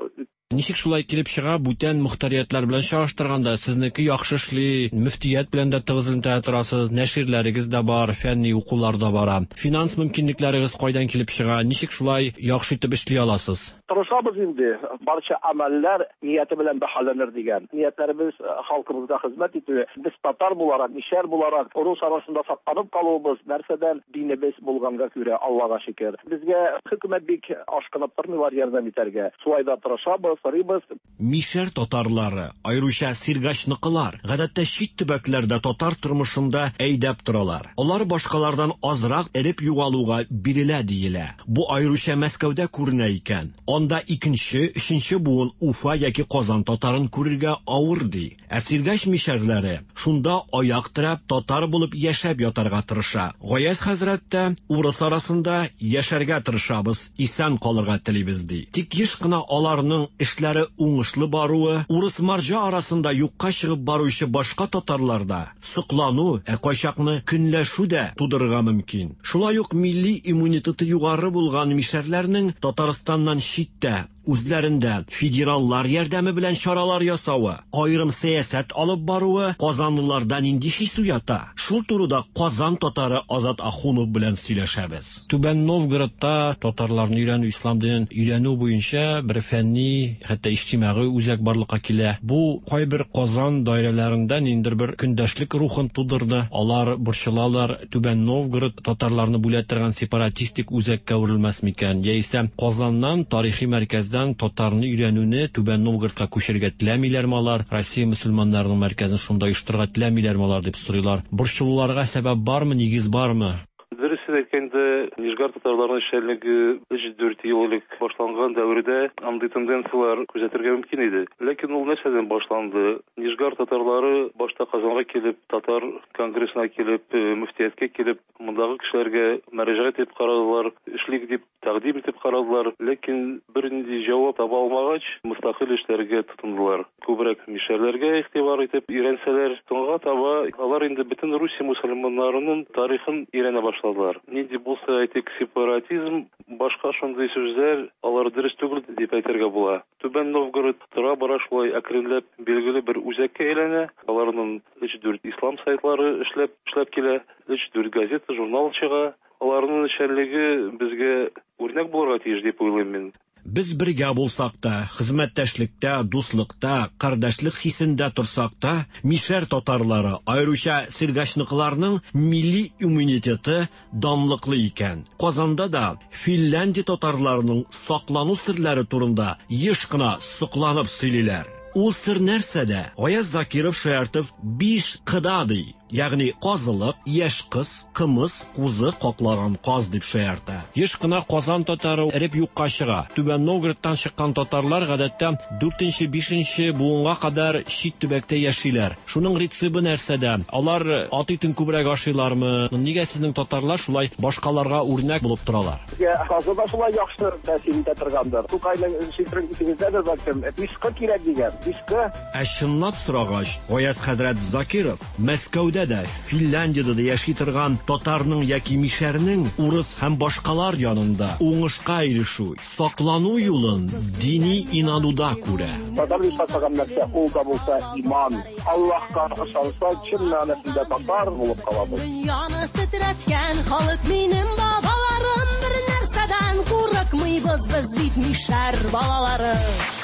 Ничек шулай килеп чыга, бүтән мохтариятләр белән чагыштырганда, сезнеке яхшы эшли, мөфтият белән дә тыгыз элемтәдә торасыз, нәширләрегез дә бар, фәнни укулар да бара. Финанс мөмкинлекләрегез кайдан килеп чыга, ничек шулай яхшы итеп эшли аласыз? Тырышабыз инде, барча гамәлләр нияте белән бәһаләнер дигән. Ниятләребез халкыбызга хезмәт итү. Без татар буларак, мишәр буларак, рус арасында сакланып калуыбыз нәрсәдән? Динебез булганга күрә, Аллага шөкер. Безгә хөкүмәт бик ашкынып тормыйлар ярдәм итәргә. Шулай да тырышабыз, сорыйбыз. Мишәр татарлары, аеруча Сергачныкылар, гадәттә чит төбәкләрдә татар тормышында әйдәп торалар. Алар башкалардан азрак эреп югалуга бирелә диелә. Бу аеруча Мәскәүдә күренә икән. Анда икенче, өченче буын Уфа яки Казан татарын күрергә авыр ди. Ә Сергач мишәрләре шунда аяк терәп, татар булып яшәп ятарга тырыша. Гаяз хәзрәт тә, урыс арасында яшәргә тырышабыз, исән калырга телибез, ди. Тик еш кына аларның эшләре уңышлы баруы, урыс-марҗа арасында юкка чыгып баручы башка татарларда соклану, ә кайчакны көнләшү дә тудырырга мөмкин. Шулай ук милли иммунитеты югары булган мишәрләрнең Татарстаннан читтә, үзләрендә федераллар ярдәме белән чаралар ясавы, аерым сәясәт алып баруы казанлыларда нинди хис уята? Шул турыда Казан татары Азат Ахунов белән сөйләшәбез. Түбән Новгородта татарларны өйрәнү, ислам динен өйрәнү буенча бер фәнни, хәтта иҗтимагый үзәк барлыкка килә. Бу кайбер Казан даирәләрендә ниндидер бер көндәшлек рухын тудырды. Алар борчылалар, Түбән Новгород татарларны бүлә торган сепаратистик үзәккә әверелмәс микән, яисә Казаннан, тарихи мәркәздән татарны өйрәнүне Түбән Новгородка күчерергә теләмиләрме алар, Россия мөселманнарының мәркәзен шунда оештырырга теләмиләрме алар дип сорыйлар. Борчылуларга сәбәп бармы, нигез бармы? Дөресен әйткәндә, Нижгар татарларының эшчәнлеге 3-4 ел элек башланган дәвердә андый тенденцияләр күзәтергә мөмкин иде. Ләкин ул нәрсәдән башланды? Нижгар татарлары башта Казанга килеп, татар конгрессына килеп, мөфтияткә килеп, мондагы кешеләргә мөрәҗәгать итеп карадылар, эшлик дип тәкъдим итеп карадылар, ләкин бернинди җавап таба алмагач, мөстәкыйль эшләргә тотындылар. Күбрәк мишәрләргә игътибар итеп өйрәнсәләр, соңга таба алар инде бөтен Русия мөселманнарының тарихын өйрәнә башладылар. Нинди булса, әйтик, сепаратизм, башка шундый сүзләр, алар дөрес түгел дип әйтергә була. Түбән Новгород тора-бара шулай әкренләп билгеле бер үзәккә әйләнә. Аларның өч-дүрт ислам сайтлары эшләп эшләп килә, өч-дүрт газета, журнал чыга. Аларның эшчәнлеге безгә үрнәк булырга тиеш дип уйлыйм мин. Без бергә булсак та, хезмәттәшлектә, дуслыкта, кардәшлек хисендә торсак та, мишәр татарлары, аеруча сергачныкыларның милли иммунитеты данлыклы икән. Казанда да Финляндия татарларының саклану серләре турында еш кына сокланып сөйлиләр. Ул сер нәрсәдә? Гаяз Закиров шаяртып биш кыда ди. Ягъни казылык, яшь кыз, кымыз, кузы, каклаган каз дип шаярта. Еш кына Казан татары эреп юкка чыга. Түбән Новгородтан чыккан татарлар гадәттә дүртенче, бишенче буынга кадәр чит төбәктә яшиләр. Шуның рецебы нәрсәдә? Алар ат итен күбрәк ашыйлармы? Нигә сезнең татарлар шулай башкаларга үрнәк булып торалар? Безгә казы да шулай яхшы тәэсир итә торгандыр. Тукайның шигырен исегездәдер бәлкем, Биш кы кирәк дигән, биш кы. Ә чынлап сорагач, Гаяз хәзрәт Закиров Мәскәүдә дә, Финляндиядә дә яши торган татарның яки мишәрнең урыс һәм башкалар янында уңышка ирешү, саклану юлын дини инануда күрә. Татар дип атаган нәрсә, ул да булса иман. Аллаһка ышанса, чын мәгънәсендә татар булып калабыз. Дөньяны тетрәткән халык минем бабаларым бер нәрсәдән курыкмыйбыз без бит мишәр балалары.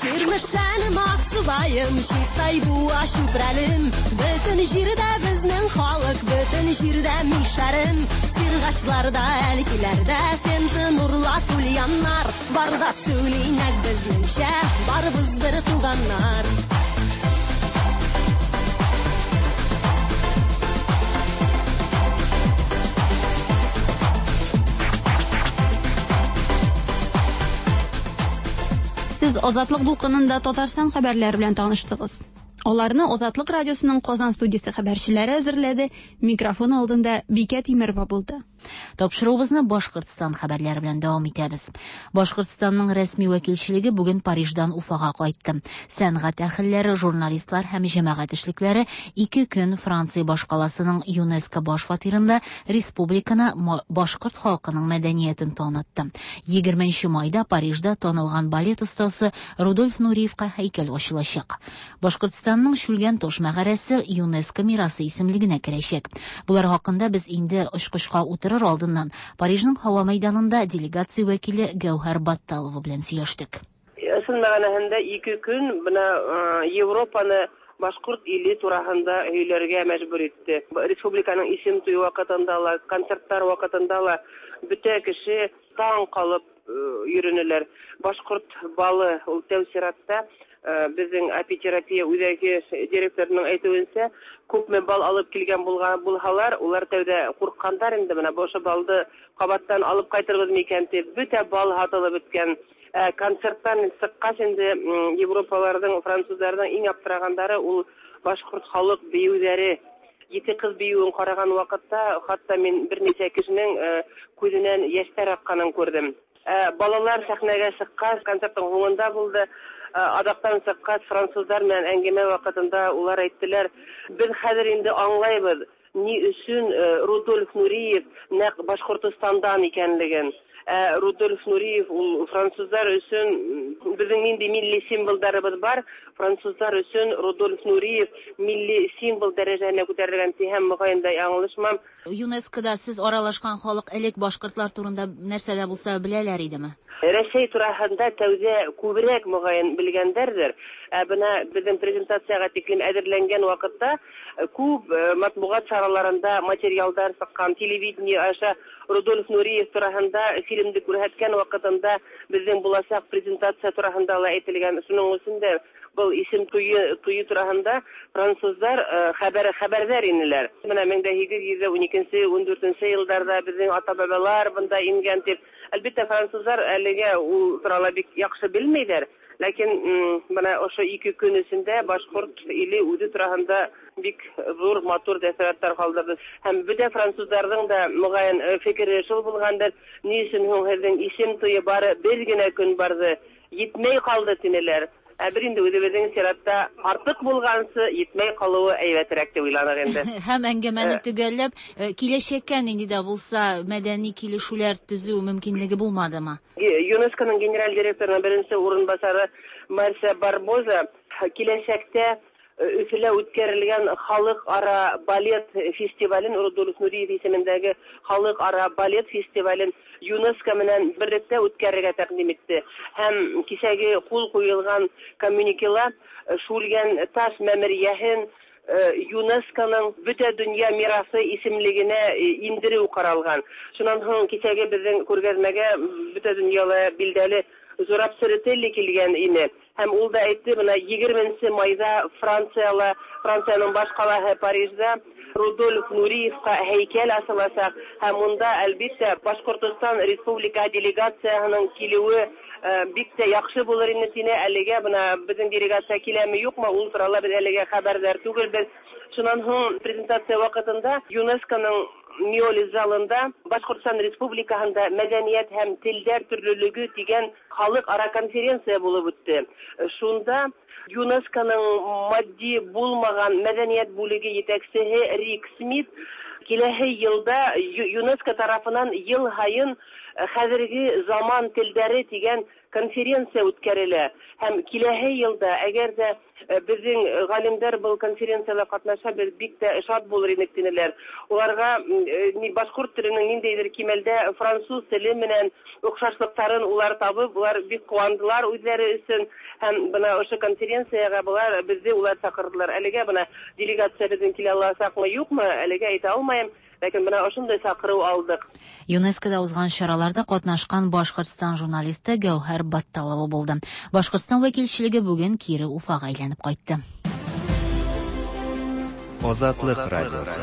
Чирмешәнем, Аксубаем, Чистай, Буа, Чүпрәлем, бөтен җирдә безнең халык, бөтен җирдә мишәрем. Сиргачларда, Әлкиләрдә, Пенза, Нурлат, Ульяннар, бар да сөйли нәкъ безнеңчә, барыбыз бер туганнар. Сез Азатлык дулкынында Татарстан хәбәрләре белән таныштыгыз. Аларны Азатлык радиосының Казан студиясе хәбәрчеләре әзерләде, микрофон алдында Бикә Тимерова булды. Тапшыруыбызны Башкортстан хәбәрләре белән дәвам итәбез. Башкортстанның рәсми вәкилчелеге бүген Париждан Уфага кайтты. Сәнгать әһелләре, журналистлар һәм җәмәгать эшлекләре ике көн Франция башкаласының ЮНЕСКО баш фатирында республиканы, башкорт халкының мәдәниятен танытты. 20 нче майда Парижда танылган балет остасы Рудольф Нуриевка һәйкәл ачылачак. Башкортстанның Шүлгән таш мәгарәсе ЮНЕСКО мирасы исемлегенә керәчәк. Болар хакында без инде очкычка утырыр алдыннан Парижның һава мәйданында делегация вәкиле Гәүһәр Батталова белән сөйләштек. Ысын мәгънәһендә ике көн менә Европаны башкорт иле тураһында һөйләргә мәҗбүр итте. Республиканың исем туе вакытында ла, концертлар вакытында ла бөтә кеше таң калып йөренеләр. Башкорт балы ул тәү чиратта безнең апитерапия үзәге директорының әйтүенчә, күпме бал алып килгән булган булһалар, улар тәүдә курыккандар инде, менә бу ошо балды кабаттан алып кайтырбыз микән дип, бөтә бал һатылып беткән. Концерттан чыккач инде Европаларның, французларның иң аптырагандары ул башкорт халык биюләре. Ете кыз биюен караган вакытта, хатта мин берничә кешенең күзеннән яшьләр акканын күрдем. Балалар сәхнәгә чыккач, концертның һуңында булды. Адактан чыккач, французлар белән әңгәмә вакытында улар әйттеләр, без хәзер инде аңлайбыз, ни өчен Рудольф Нуриев нәкъ Башкортостандан икәнлеген. Ә Рудольф Нуриев ул французлар өчен безнең нинди милли символдарыбыз бар, французлар өчен Рудольф Нуриев милли символ дәрәҗәһенә күтәрелгән дисәм, мөгаен да яңлышмам. ЮНЕСКОда сез аралашкан халык элек башкортлар турында нәрсә дә булса беләләр идеме? Рәсәй тураһында тәүдә күбрәк, мөгаен, белгәндәрдер. Ә менә безнең презентациягә тиклем әзерләнгән вакытта күп матбугат чараларында материалдар чыккан, телевидение аша Рудольф Нуриев тураһында фильмды күрһәткән вакытында безнең булачак презентация тураһында ла әйтелгән. Шуның өчен дә был исем туе, туе тураһында французлар хәбәр хәбәрдәр инеләр. Менә 1812 14 елларда безнең ата-бабалар бында ингән дип. Әлбәттә, французлар әлегә ул турала бик яхшы белмиләр. Ләкин менә ошо 2 көн эчендә башкорт иле үзе тураһында бик зур, матур тәэссоратлар калдырды. Һәм бөтә французларның да мөгаен фикере шул булгандыр. Ни өчен һуң һезнең исем туе бары бер генә көн барды, етмәй калды тинеләр. Ә бер инде үзебезнең чиратта артык булгансы етмәй калуы әйбәтрәк дип уйланык инде. Һәм әңгәмәне төгәлләп, киләчәккә нинди дә булса мәдәни килешүләр төзү мөмкинлеге булмадымы? ЮНЕСКОның генераль директорының беренче урынбасары Марсия Барбоза киләчәктә Өфөлә үткәрелгән халыкара балет фестивален, Рудольф Нуриев исемендәге халыкара балет фестивален ЮНЕСКО белән берлектә үткәрергә тәкъдим итте. Һәм кичәге кул куелган коммюникела Шүлгән таш мәмерияһен ЮНЕСКОның бөтә дөнья мирасы исемлегенә индерү каралган. Шуннан соң кичәге безнең күргәзмәгә бөтә дөньяла билдәле Зураб Церетели килгән ине. Һәм ул да әйтте, менә 20 майда Францияла, Франциянең баш калаһы Парижда Рудольф Нуриевка һәйкәл асылачак һәм монда, әлбиттә, Башкортостан Республика делегацияһының килүе бик тә яхшы булыр ине тине. Әлегә менә безнең делегация киләме, юкмы, ул турала без әлегә хәбәрдар түгелбез. Шуннан һуң презентация вакытында ЮНЕСКОның Миолис залында Башкортстан Республикаһында мәдәният һәм телләр төрлелеге дигән халыкара конференция булып үтте. Шунда ЮНЕСКОның матди булмаган мәдәният бүлеге җитәкчесе Рик Смит киләһе елда ЮНЕСКО тарафыннан ел һайын хәзерге заман телдәре дигән конференция үткәрелә. Һәм киләһе елда, әгәр дә безнең галимдәр был конференцияда катнаша, без бик тә шат булыр идек тинеләр. Уларга башкорт теленең ниндәйдер кимәлдә француз теле менән охшашлыкларын улар табып, улар бик куандылар үзләре өчен. Һәм бына ошо конференциягә булар безне улар чакырдылар. Әлегә бына делегация безнең килә аласакмы, юкмы, әлегә әйтә алмыйм. Ләкин менә ошондай чакыру алдык. ЮНЕСКОда узган чараларда катнашкан Башкортстан журналисты Гәүһәр Батталова булды. Башкортстан вәкилчелеге бүген кире Уфага әйләнеп кайтты. Азатлык радиосы.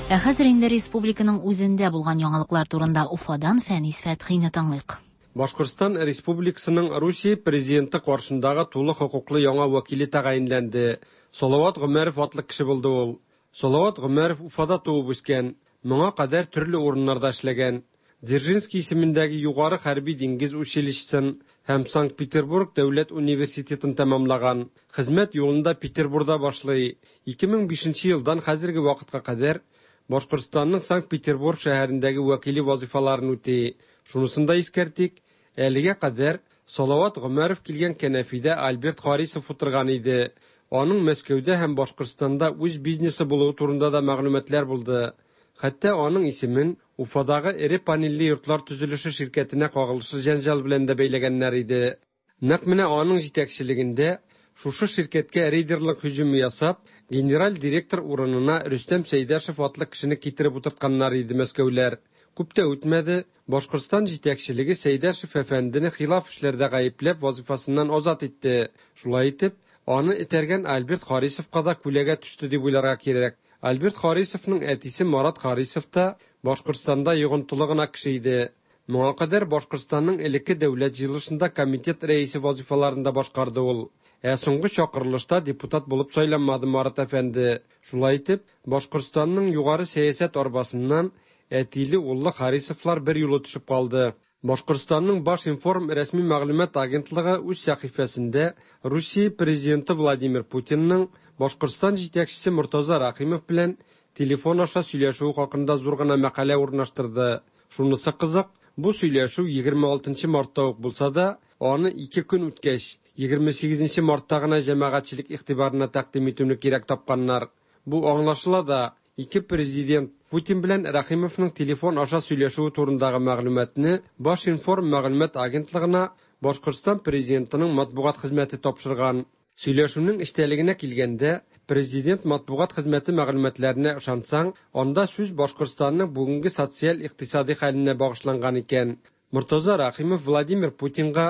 Ә хәзер инде республиканың үзендә булган яңалыклар турында Уфадан Фәнис Фәтхине тыңлыйк. Башкортстан Республикасының Русия президенты каршындагы тулы хокуклы яңа вәкиле тәгаенләнде. Салават Гомәров атлы кеше булды ул. Салават Гомәров Уфада туып үскән, моңа кадәр төрле урыннарда эшләгән. Дзержинский исемендәге югары хәрби диңгез училищесын һәм Санкт-Петербург дәүләт университетын тәмамлаган. Хезмәт юлында Петербурда башлый. 2005 елдан хәзерге вакытка кадәр Башкортстанның Санкт-Петербург шәһәрендәге вәкиле вазифаларын үти. Шунысын да искәртик, әлегә кадәр Салават Гомәров килгән кәнәфидә Альберт Харисов утырган иде. Аның Мәскәүдә һәм Башкортстанда үз бизнесы булуы турында да мәгълүматлар булды. Хәтта аның исемен Уфадагы эре панельле йортлар төзелеше ширкәтенә кагылышлы җәнҗал белән дә бәйләгәннәр иде. Нәкъ менә аның җитәкчелегендә шушы ширкәткә рейдерлык һөҗүме ясап, генераль директор урынына Рөстәм Сәйдәшев атлы кешене китереп утыртканнар иде мәскәүләр. Күп тә үтмәде, Башкортстан җитәкчелеге Сәйдәшев әфәндене хилаф эшләрдә гаепләп вазифасыннан азат итте. Шулай итеп, аны этәргән Альберт Харисовка да күләгә төште дип уйларга кирәк. Альберт Харисовның әтисе Марат Харисов та Башкортстанда йогынтылы гына кеше иде. Моңа кадәр Башкортстанның элекке дәүләт җыелышында комитет рәисе вазифаларын да башкарды ул. Ә соңгы чакырылышта депутат булып сайланмады Марат әфәнде. Шулай итеп, Башкортстанның югары сәясәт арбасыннан әтиле уллы Харисовлар бер юлы төшеп калды. Башкортстанның Башинформ рәсми мәгълүмат агентлыгы үз сәхифәсендә Русия президенты Владимир Путинның Башкортстан җитәкчесе Мортаза Рахимов белән телефон аша сөйләшүе хакында зур гына мәкалә урнаштырды. Шунысы кызык, бу сөйләшү 26 мартта ук булса да, аны ике көн үткәч, 28 мартта гына җәмәгатьчелек игътибарына тәкъдим итүне кирәк тапканнар. Бу аңлашыла да, ике президент Путин белән Рәхимовның телефон аша сөйләшүе турындагы мәгълүматны Башинформ мәгълүмат агентлыгына Башкортстан президентының матбугат хезмәте тапшырган. Сөйләшүнең эчтәлегенә килгәндә, президент матбугат хезмәте мәгълүматларына ышансаң, анда сүз Башкортстанның бүгенге социаль-икътисади хәленә багышланган икән. Мортаза Рәхимов Владимир Путинга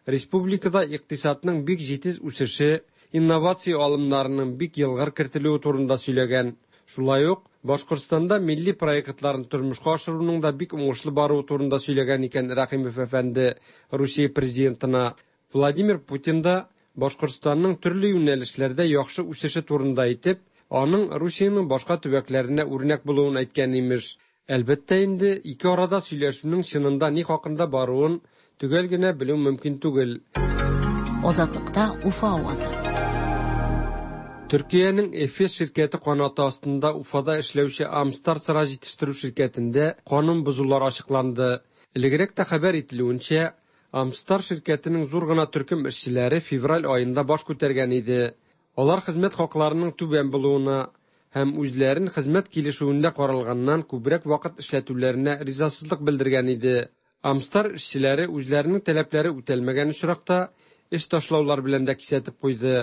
республикада икътисадның бик җитез үсеше, инновация алымнарының бик елгыр кертелүе турында сөйләгән. Шулай ук Башкортстанда милли проектларын тормышка ашыруның да бик уңышлы баруы турында сөйләгән икән Рәхимов әфәнде Русия президентына. Владимир Путин да Башкортстанның төрле юнәлешләрдә яхшы үсеше турында әйтеп, аның Русиянең башка төбәкләренә үрнәк булуын әйткән имеш. Әлбәттә инде, ике арада сөйләшүнең чынында ни хакында баруын төгәл генә белү мөмкин түгел. Азатлыкта Уфа авазы. Төркиянең Эфес ширкәте канаты астында Уфада эшләүче Амстар сыра җитештерү ширкәтендә канун бозулар ачыкланды. Элегрәк тә хәбәр ителүенчә, Амстар ширкәтенең зур гына төркем эшчеләре февраль аенда баш күтәргән иде. Алар хезмәт хакларының түбән булуына һәм үзләрен хезмәт килешүендә каралганнан күбрәк вакыт эшләтүләренә ризасызлык белдергән иде. Амстар эшчеләре үзләренең таләпләре үтәлмәгән очракта эш ташлаулар белән дә кисәтеп куйды.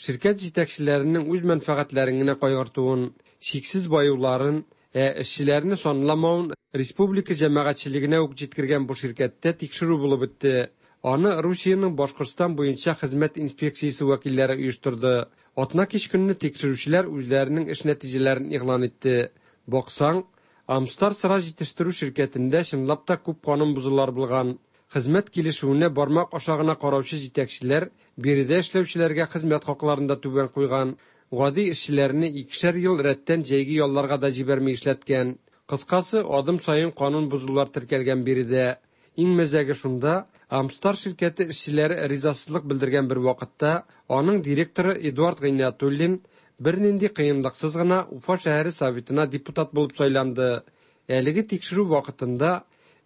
Ширкәт җитәкчеләренең үз мәнфәгатьләрен генә кайгыртуын, чиксез баюларын, ә эшчеләрне санламавын республика җәмәгатьчелегенә үк җиткергән бу ширкәттә тикшерү булып үтте. Аны Русиянең Башкортстан буенча хезмәт инспекциясе вәкилләре оештырды. Атна кич көнне тикшерүчеләр үзләренең эш нәтиҗәләрен игълан итте. Баксаң, Амстар сыра җитештерү ширкәтендә чынлап та күп канун бозулар булган. Хезмәт килешүенә бармак аша гына караучы җитәкчеләр биредә эшләүчеләргә хезмәт хакларын да түбән куйган. Гади эшчеләрне икешәр ел рәттән җәйге ялларга да җибәрми эшләткән. Кыскасы, адым саен канун бозулар теркәлгән биредә. Иң мәзәге шунда, Амстар ширкәте эшчеләре ризасызлык белдергән бер вакытта аның директоры Эдуард Гыйниятуллин бернинди кыенлыксыз гына Уфа шәһәре советына депутат булып сайланды. Әлеге тикшерү вакытында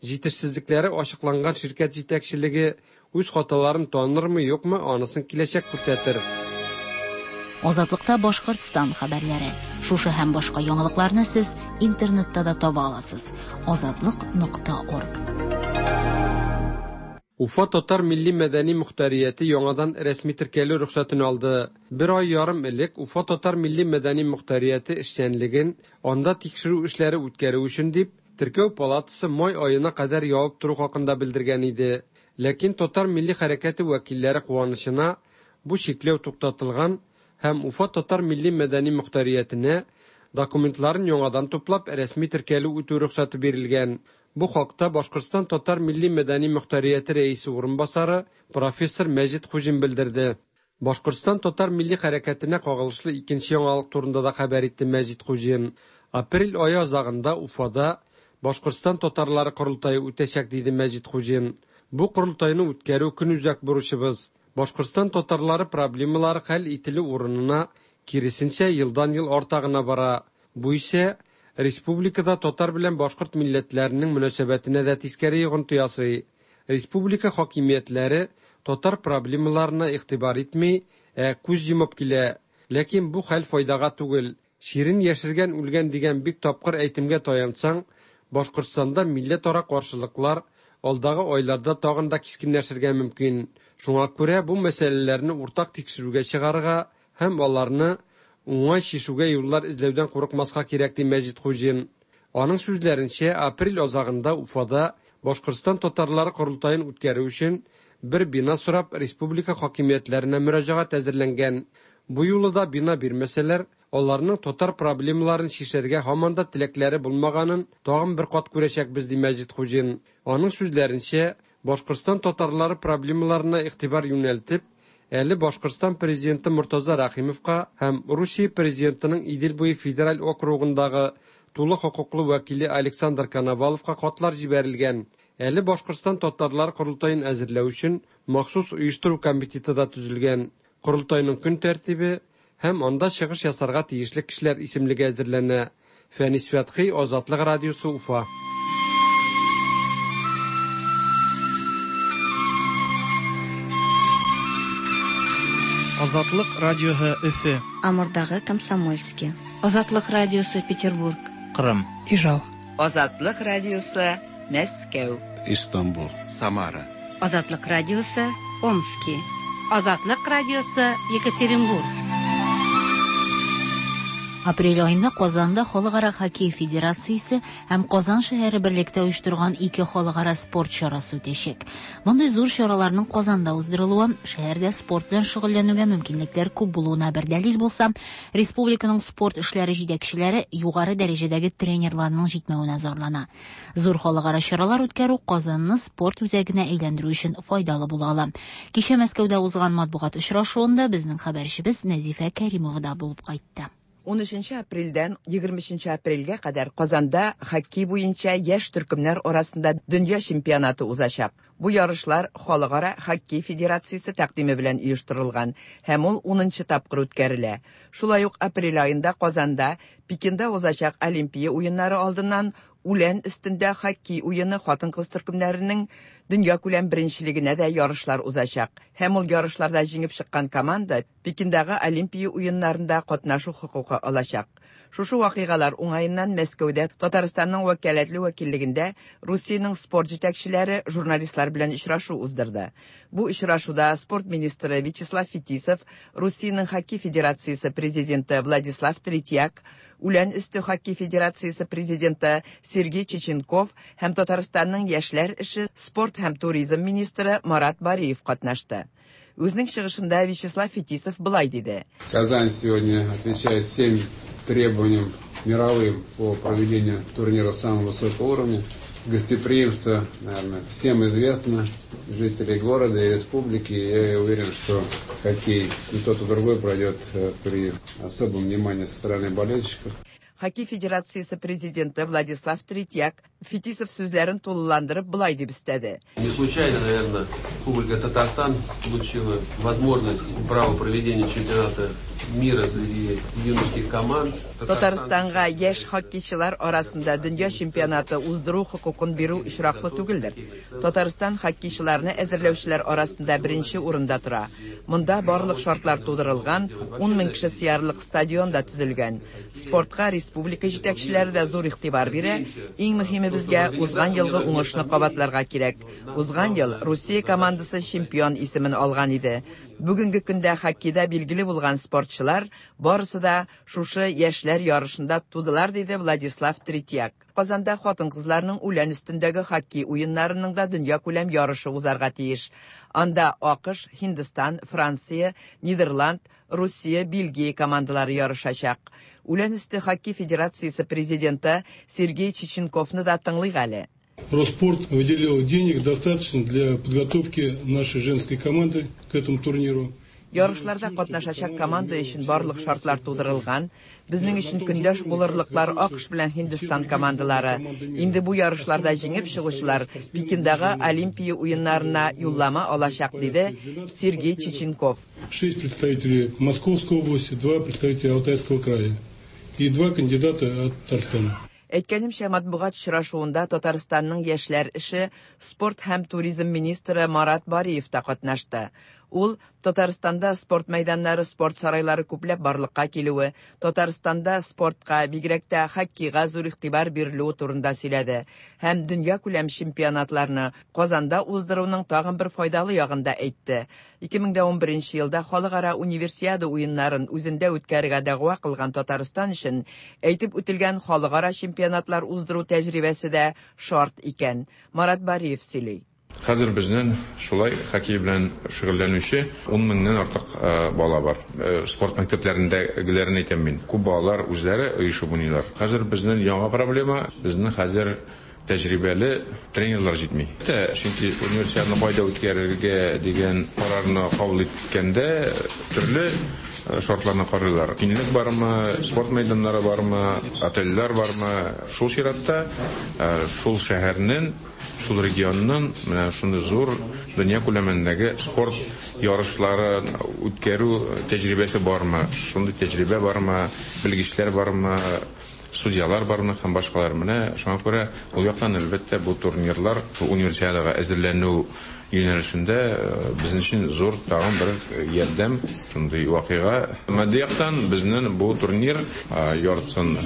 җитешсезлекләре ачыкланган ширкәт җитәкчелеге үз хаталарын танырмы, юкмы, анысын киләчәк күрсәтер. Азатлыкта Башкортстан хәбәрләре. Шушы һәм башка яңалыкларны сез интернетта да таба аласыз. Азатлык.орг. Уфа татар милли-мәдәни мохтарияте яңадан рәсми теркәлү рөхсәтен алды. Бер ай ярым элек Уфа татар милли-мәдәни мохтарияте эшчәнлеген анда тикшерү эшләре үткәрү өчен дип, теркәү палатасы май аена кадәр ябып тору хакында белдергән иде. Ләкин татар милли хәрәкәте вәкилләре куанычына бу чикләү туктатылган һәм Уфа татар милли-мәдәни мохтариятенә документларын яңадан туплап рәсми теркәлү үтү рөхсәте бирелгән. Бу хакта Башкортстан татар милли-мәдәни мохтарияте рәисе урынбасары профессор Мәҗит Хуҗин белдерде. Башкортстан татар милли хәрәкәтенә кагылышлы икенче яңалык турында да хәбәр итте Мәҗит Хуҗин. Апрель ае азагында Уфада Башкортстан татарлары корылтае үтәчәк, диде Мәҗит Хуҗин. Бу корылтайны үткәрү көнүзәк бурычыбыз. Башкортстан татарлары проблемалары хәл ителү урынына киресенчә елдан-ел арта гына бара. Бу исә республикада татар белән башкорт милләтләренең мөнәсәбәтенә дә тискәре йогынты ясый. Республика хакимиятләре татар проблемаларына игътибар итми, ә күз йомып килә. Ләкин бу хәл файдага түгел. Чирен яшергән үлгән дигән бик тапкыр әйтемгә таянсаң, Башкортстанда милләтара каршылыклар алдагы айларда тагын да кискенләшергә мөмкин. Шуңа күрә бу мәсьәләләрне уртак тикшерүгә чыгарырга һәм аларны уңай чишүгә юллар эзләүдән курыкмаска кирәк, ди Мәҗит Хуҗин. Аның сүзләренчә, апрель азагында Уфада Башкортстан татарлары корылтаен үткәрү өчен бер бина сорап республика хакимиятләренә мөрәҗәгать әзерләнгән. Бу юлы да бина бирмәсәләр, аларның татар проблемаларын чишәргә һаман да теләкләре булмаганын тагын бер кат күрәчәкбез, ди Мәҗит Хуҗин. Аның сүзләренчә, Башкортстан татарлары проблемаларына игътибар юнәлтеп, әле Башкортстан президенты Мортаза Рәхимовка һәм Русия президентының Идел буе федераль округындагы тулы хокуклы вәкиле Александр Коноваловка хатлар җибәрелгән. Әле Башкортстан татарлар корылтаен әзерләү өчен махсус оештыру комитеты да төзелгән. Корылтайның көн тәртибе һәм анда чыгыш ясарга тиешле кешеләр исемлеге әзерләнә. Фәнис Фәтхи, Азатлык радиосы, Уфа. Азатлык радиоһы Өфе. Амурдагы Комсомольский. Азатлык радиосы Петербург. Кырым. Ижау. Азатлык радиосы Мәскәү. Истанбул. Самара. Азатлык радиосы Омски. Азатлык радиосы Екатеринбург. Апрель аенда Казанда Халыкара хоккей федерациясе һәм Казан шәһәре берлектә оештырган ике халыкара спорт чарасы үтәчәк. Мондый зур чараларның Казанда уздырылуы шәһәрдә спорт белән шөгыльләнүгә мөмкинлекләр күп булуына бер дәлил булса, республиканың спорт эшләре җитәкчеләре югары дәрәҗәдәге тренерларның җитмәвенә зарлана. Зур халыкара чаралар үткәрү Казанны спорт үзәгенә әйләндерү өчен файдалы була ала. Кичә Мәскәүдә узган матбугат очрашуында безнең хәбәрчебез Нәзифә Кәримова да булып кайтты. 13 апрельдән 23 апрельгә кадәр Казанда хоккей буенча яшь төркемнәр арасында дөнья чемпионаты узачак. Бу ярышлар Халыкара хоккей федерациясе тәкъдиме белән оештырылган һәм ул 10 тапкыр үткәрелә. Шулай ук апрель аенда Казанда Пекинда узачак Олимпия уеннары алдыннан үлән өстендә хоккей уены хатын-кыз төркемнәренең дөньякүләм беренчелегенә дә ярышлар узачак. Һәм ул ярышларда җиңеп чыккан команда Пекиндагы Олимпия уеннарында катнашу хокукы алачак. Шушы вакыйгалар уңаеннан Мәскәүдә Татарстанның вәкаләтле вәкиллегендә Русиянең спорт җитәкчеләре журналистлар белән очрашу уздырды. Бу очрашуда спорт министры Вячеслав Фетисов, Русиянең хоккей федерациясе президенты Владислав Третьяк, Үлән өсте хоккей федерациясе президенты Сергей Чеченков һәм Татарстанның яшьләр эше, спорт һәм туризм министры Марат Бариев катнашты. Үзенең чыгышында Вячеслав Фетисов болай диде. Казань сегодня отвечает всем требованиям мировым по проведению турнира самого высокого уровня. Гостеприимство, наверное, всем известно, жителей города и республики. Я уверен, что хоккей и тот, и другой пройдет при особом внимании со стороны болельщиков. Хоккей федерациясе президенты Владислав Третьяк Фетисов сүзләрен тулыландырып болай дип өстәде. Не случайно, наверное, Республика Татарстан получила возможность право проведения чемпионата мира среди юношеских команд. Татарстанга яшь хоккейчылар арасында дөнья чемпионаты уздыру хокукын бирү очраклы түгелдер. Татарстан хоккейчыларны әзерләүчеләр арасында беренче урында тора. Монда барлык шартлар тудырылган, 10 мең кеше сыярлык стадион да төзелгән. Спортка республика җитәкчеләре дә зур игътибар бирә. Иң мөһиме безгә узган елгы уңышны кабатларга кирәк. Узган ел Русия командасы чемпион исемен алган иде. Бүгенге көндә хоккейда билгеле булган спортчылар барысы да шушы яшьләр ярышында тудылар, диде Владислав Третьяк. Казанда хатын-кызларның үлән өстендәге хоккей уеннарының да дөньякүләм ярышы узарга тиеш. Анда АКШ, Һиндстан, Франция, Нидерланд, Русия, Бельгия командалары ярышачак. Үлән өсте хоккей федерациясе президенты Сергей Чеченковны да тыңлыйк әле. Росспорт выделил денег достаточно для подготовки нашей женской команды к этому турниру. Ярышларда катнашачак команда өчен барлык шартлар тудырылган. Безнең өчен көндәш булырлыклар АКШ белән Һиндстан командалары. Инде бу ярышларда җиңеп чыгучылар Пекиндагы Олимпия уеннарына юллама алачак, диде Сергей Чеченков. 6 представителей Московской области, 2 представителя Алтайского края и 2 кандидата от Татарстана. Әйткәнемчә, матбугат очрашуында Татарстанның яшьләр эше, спорт һәм туризм министры Марат Бариев та катнашты. Ул Татарстанда спорт мәйданнары, спорт сарайлары күпләп барлыкка килүе, Татарстанда спортка, бигрәк тә хоккейга зур игътибар бирелүе турында сөйләде һәм дөньякүләм чемпионатларны Казанда уздыруның тагын бер файдалы ягын да әйтте. 2011 елда халыкара универсиада уеннарын үзендә үткәрергә дәгъва кылган Татарстан өчен әйтеп үтелгән халыкара чемпионатлар уздыру тәҗрибәсе дә шарт икән. Марат Бариев сөйли. Хәзер безнең шулай хоккей белән шөгыльләнүче 10 меңнән артык бала бар. Спорт мәктәпләрендәгеләрен әйтәм мин. Күп балалар үзләре оешып уйныйлар. Хәзер безнең яңа проблема, безнең хәзер тәҗрибәле тренерлар җитми. Чөнки универсиаданы кайда үткәрергә дигән карарны кабул иткәндә төрле шартларны карыйлар. Киңлек бармы, спорт мәйданнары бармы, отельләр бармы? Шул чиратта шул шәһәрнең, шул регионның менә шундый зур дөнья күләмендәге спорт ярышлары үткәрү тәҗрибәсе бармы? Шундый тәҗрибә бармы? Белгечләр бармы? Судьялар бармы һәм башкалар. Менә шуңа күрә ул яктан, әлбәттә, бу турнирлар Универсиадага әзерләнү юнәлешендә безнең өчен зур тагын бер ярдәм, шундый вакыйга. Матди яктан безнең бу турнир яртысын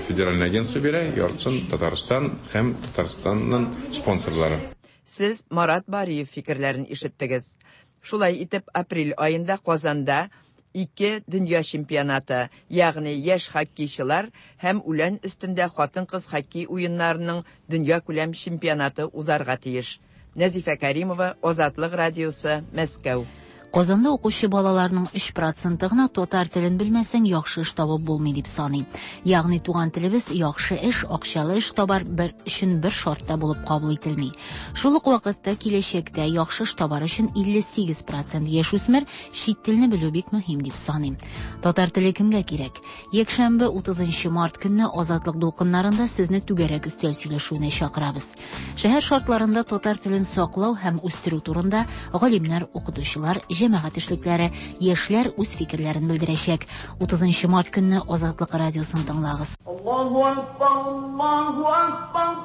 федеральный агентство бирә, яртысын Татарстан һәм Татарстанның спонсорлары. Сез Марат Бариев фикерләрен ишеттегез. Шулай итеп, апрель аенда Казанда ике дөнья чемпионаты, ягъни яшь хоккейчылар һәм үлән өстендә хатын-кыз хоккей уеннарының дөньякүләм чемпионаты узарга тиеш. Нәзифә Кәримова, Азатлык радиосы, Мәскәү. Казанда укучы балаларның 3 проценты гына татар телен белмәсәң, яхшы эш табып булмый дип саный. Ягъни туган телебез яхшы эш, акчалы эш табар бер өчен бер шартта булып кабул ителми. Шул ук вакытта киләчәктә яхшы эш табар өчен 58 процент яшүсмер чит телне белү бик мөһим дип саный. Татар теле кемгә кирәк? Якшәмбе 30 март көнне Азатлык дулкыннарында сезне түгәрәк өстәл сөйләшүенә чакырабыз. Шәһәр шартларында татар телен саклау һәм үстерү турында галимнәр, укытучылар, җәмәгать эшлекләре, яшьләр үз фикерләрен белдерәчәк. 30 март көнне Азатлык радиосын тыңлагыз. Аллаһу акбар, Аллаһу акбар,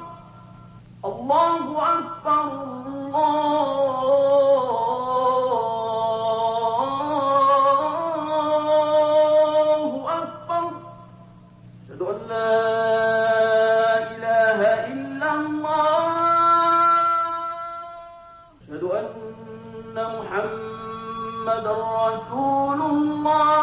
Аллаһу акбар, Аллаһу акбар. Әшһәду ан ла илаһа иллаллаһ. Әшһәду анна Мухаммадан расулуллаһ.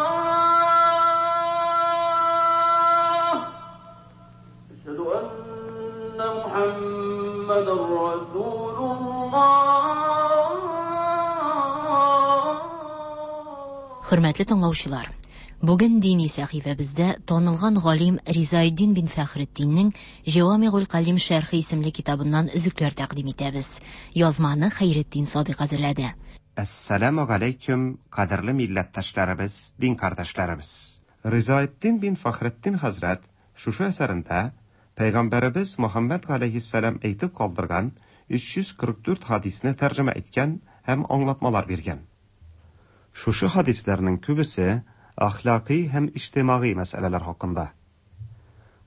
Әшһәду анна Мухаммадан расулуллаһ. Хөрмәтле тыңлаучылар, бүген дини сәхифәбездә танылган галим Ризаэддин бин Фәхретдиннең Җәвамигуль Калим шәрхе исемле китабыннан өзекләр тәкъдим итәбез. Язманы Хәйретдин Садыйк әзерләде. Әссәламү галәйкүм, кадерле милләттәшләребез, дин кардәшләребез! Ризаэддин бин Фәхретдин хәзрәт шушы әсәрендә Пәйгамбәребез Мөхәммәд галәйһиссәлам әйтеп калдырган 344 хадисне тәрҗемә иткән һәм аңлатмалар биргән. Шушы хадисләрнең күбесе әхлакый һәм иҗтимагый мәсьәләләр хакында.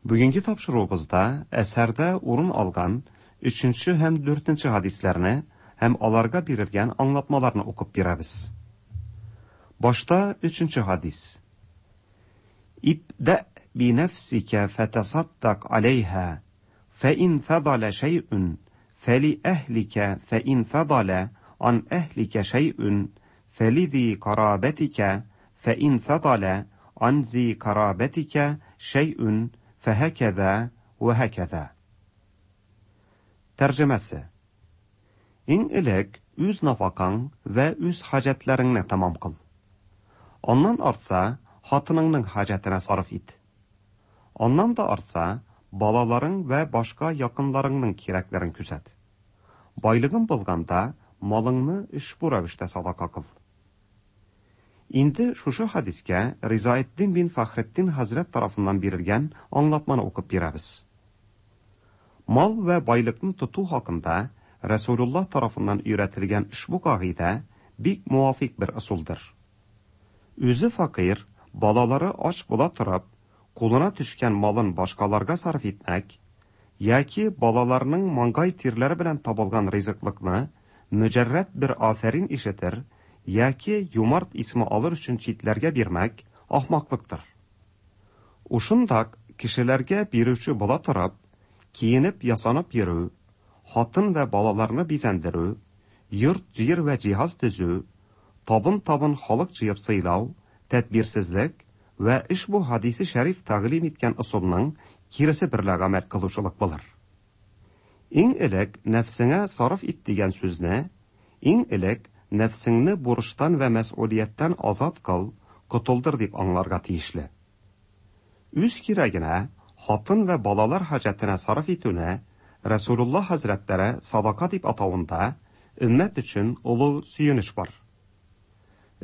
Бүгенге тапшыруыбызда әсәрдә урын алган өченче һәм дүртенче хадисләрне һәм аларга бирелгән аңлатмаларны укып бирәбез. Башта өченче хадис. Ибдә би нәфсикә фәтасаддак алейһа, фә ин фадала шәйъүн фәли әһликә фә ин фадала ан әһликә шәйъүн фәлизи карабәтикә фә ин фадала ан зи карабәтикә шәйъүн фәһәкәзә вә һәкәзә. Тәрҗемәсе. Иң элек үз нафакаң вә үз хаҗәтләреңне тәмам кыл. Аннан артса, хатыныңның хаҗәтенә сарыф ит. Аннан да артса, балаларың вә башка якынларыңның кирәкләрен күзәт. Байлыгың булганда, малыңны ошбу рәвештә садака кыл. Инде шушы хадискә Ризаэддин бин Фәхретдин хәзрәт тарафыннан бирелгән аңлатманы укып бирәбез. Мал вә байлыкны тоту хакында Рәсүлуллаһ тарафыннан өйрәтелгән ошбу кагыйдә бик муафик бер ысулдыр. Үзе фәкыйрь, балалары ач була торып, кулына төшкән малын башкаларга сарыф итмәк, яки балаларының маңгай тирләре белән табылган ризыклыкны мөҗәррәд бер афәрин ишетер яки юмарт исеме алыр өчен читләргә бирмәк ахмаклыктыр. Ушындак кешеләргә бирүче була торып, киенеп ясанып йөрү, хатын вә балаларны бизәндерү, йорт-җир вә җиһаз төзү, табын-табын халык җыеп сыйлау, тәдбирсезлек вә ошбу хадисе шәриф тәгълим иткән ысулның киресе берлә гамәл кылучылык булыр. Иң элек нәфсеңә сарыф ит дигән сүзне, иң элек нәфсеңне бурычтан вә мәсьүлияттән азат кыл, котылдыр дип аңларга тиешле. Үз кирәгенә, хатын вә балалар хаҗәтенә сарыф итүне Рәсүлуллаһ хәзрәтләре садака дип атавында өммәт өчен олы сөенеч бар.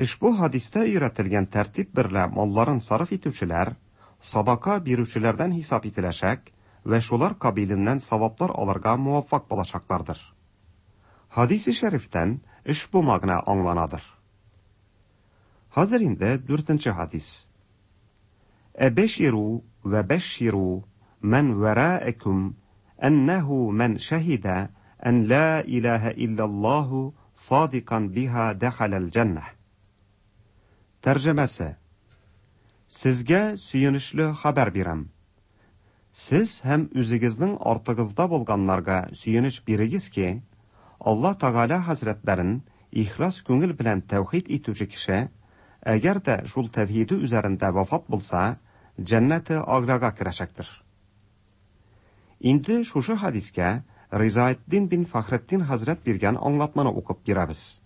Ошбу хадистә өйрәтелгән тәртип берлә малларын сарыф итүчеләр садака бирүчеләрдән хисап ителәчәк вә шулар кабиленнән саваплар алырга муаффак булачаклардыр. Хадисе шәрифтән ошбу мәгънә аңланадыр. Хәзер инде дүртенче хадис. Әбәширу вә бәшширу мән вәраәкүм әннәһу мән шәһидә ән лә иләһә илляллаһу садикан биһа дәхәләл җәннәһ. Тәрҗемәсе. Сезгә сөенечле хәбәр бирәм. Сез һәм үзегезнең артыгызда булганнарга сөенеч бирегез ки, Алла Тәгалә хәзрәтләрен ихлас күңел белән тәүхид итүче кеше, әгәр дә шул тәвхиде үзәрендә вафат булса, җәннәте әгълага керәчәктер. Инде шушы хәдискә Ризаэтдин бин Фәхретдин хәзрәт биргән аңлатманы укып бирәбез.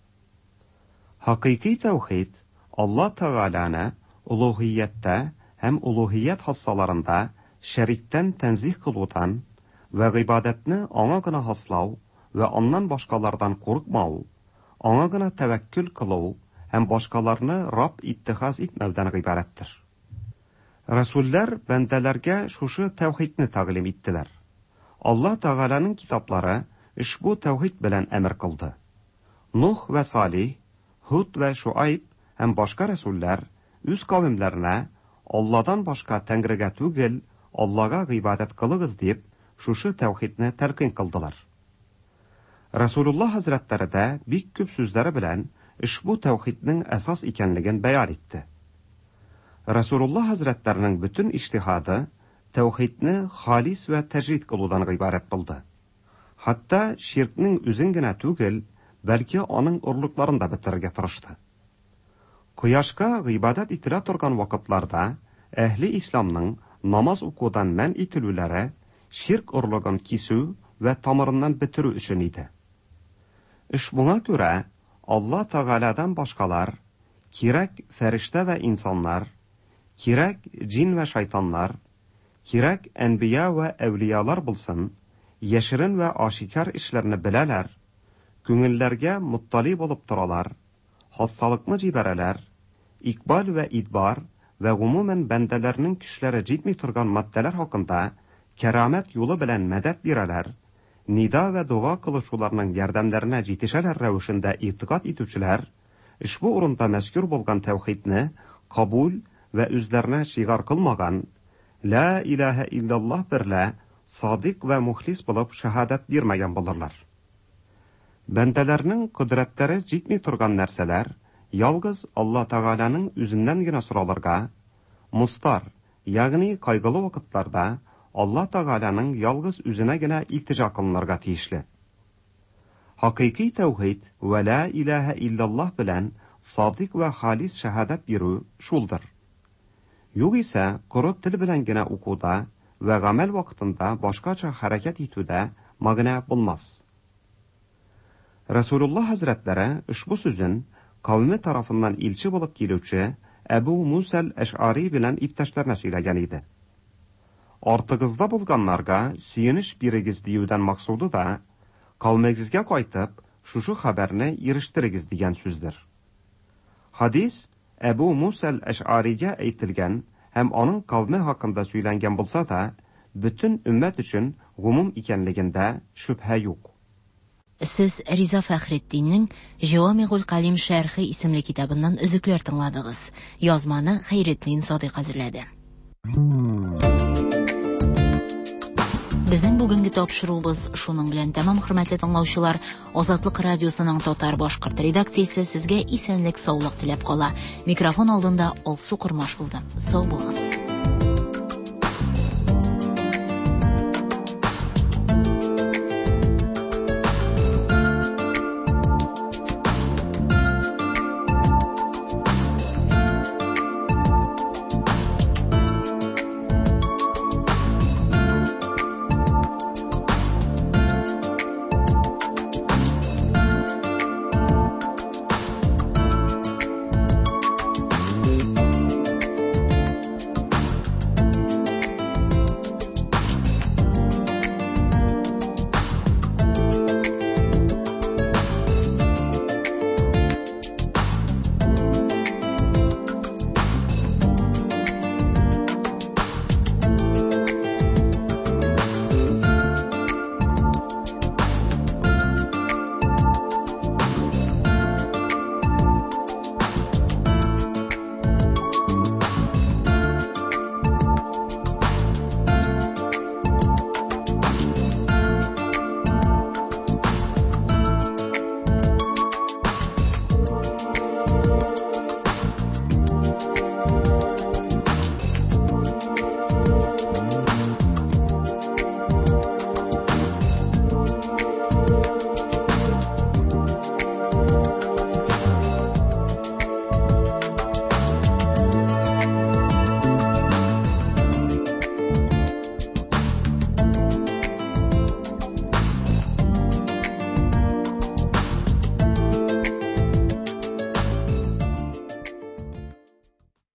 Хакыйкый тәүхид Алла Тәгаләне улуһияттә һәм улуһият хассаларында шәриктән тәнзиһ кылудан вә гыйбадәтне Аңа гына хаслау вә Аннан башкалардан курыкмау, Аңа гына тәвәккөл кылу һәм башкаларны Рабб иттихаз итмәүдән гыйбарәттер. Рәсүлләр бәндәләргә шушы тәүхидне тәгълим иттеләр. Алла Тәгаләнең китаплары ошбу тәүхид белән әмер кылды. Нух вә Салих, Һуд вә Шуайб һәм башка рәсүлләр үз кавемләренә, Алладан башка Тәңрегә түгел, Аллага гыйбадәт кылыгыз дип, шушы тәүхидне тәлкыйн кылдылар. Рәсүлулла хәзрәтләре дә бик күп сүзләре белән ошбу тәүхиднең әсас икәнлеген бәян итте. Рәсүлулла хәзрәтләренең бөтен иҗтиһады тәүхидне халис вә тәҗрид кылудан гыйбарәт булды. Хәтта ширкнең үзен генә түгел, бәлки аның орлыкларын да бетерергә тырышты. Кояшка гыйбадәт ителә торган вакытларда әһле исламның намаз укудан мән ителүләре ширк орлыгын кисү вә тамырыннан бетерү өчен иде. Ошбуңа күрә Алла Тәгаләдән башкалар, кирәк фәрештә вә инсаннар, кирәк җин вә шайтаннар, кирәк әнбия вә әүлиялар булсын, яшерен вә ашикар эшләрне беләләр, күңелләргә моттали булып торалар, хасталыкны җибәрәләр, икбал вә идбар вә гомумән бәндәләрнең көчләре җитми торган матдәләр хакында кәрамәт юлы белән мәдәт бирәләр, нида вә дога кылучыларның ярдәмнәренә җитешәләр рәвешендә игътикад итүчеләр, ошбу урында мәзкүр булган тәүхидне кабул вә үзләренә шигар кылмаган, Лә иләһә илляллаһ берлә садыйк вә мухлис булып шәһадәт бирмәгән булырлар. Бәндәләрнең кодрәтләре җитми торган нәрсәләр ялгыз Алла Тәгаләнең үзеннән генә соралырга, мостар, ягъни кайгылы вакытларда Алла Тәгаләнең ялгыз үзенә генә илтиҗа кылынырга тиешле. Хакыйкый тәүхид вә лә иләһә илляллаһ белән садыйк вә халис шәһадәт бирү шулдыр. Югыйсә, коры тел белән генә укуда вә гамәл вакытында башкача хәрәкәт итүдә мәгънә булмас. Рәсүлулла хәзрәтләре ошбу сүзен кавеме тарафыннан илче булып килүче Әбү Мусәл Әш'ари белән иптәшләренә сөйләгән иде. Артыгызда булганнарга сөенеч бирегез диюдән максуды да, кавемегезгә кайтып, шушы хәбәрне ирештерегез дигән сүздер. Хадис Әбү Мусәл Әш'аригә әйтелгән һәм аның кавеме хакында сөйләнгән булса да, бөтен өммәт өчен гомум икәнлегендә шөбһә юк. Сез Риза Фәхретдиннең Җәвамигуль Калим шәрхе исемле китабыннан өзекләр тыңладыгыз. Язманы Хәйретдин Садыйк әзерләде. Безнең бүгенге тапшыруыбыз шуның белән тәмам, хөрмәтле тыңлаучылар. Азатлык радиосының татар-башкорт редакциясе сезгә исәнлек-саулык теләп кала. Микрофон алдында Алсу Кормаш булды. Сау булыгыз.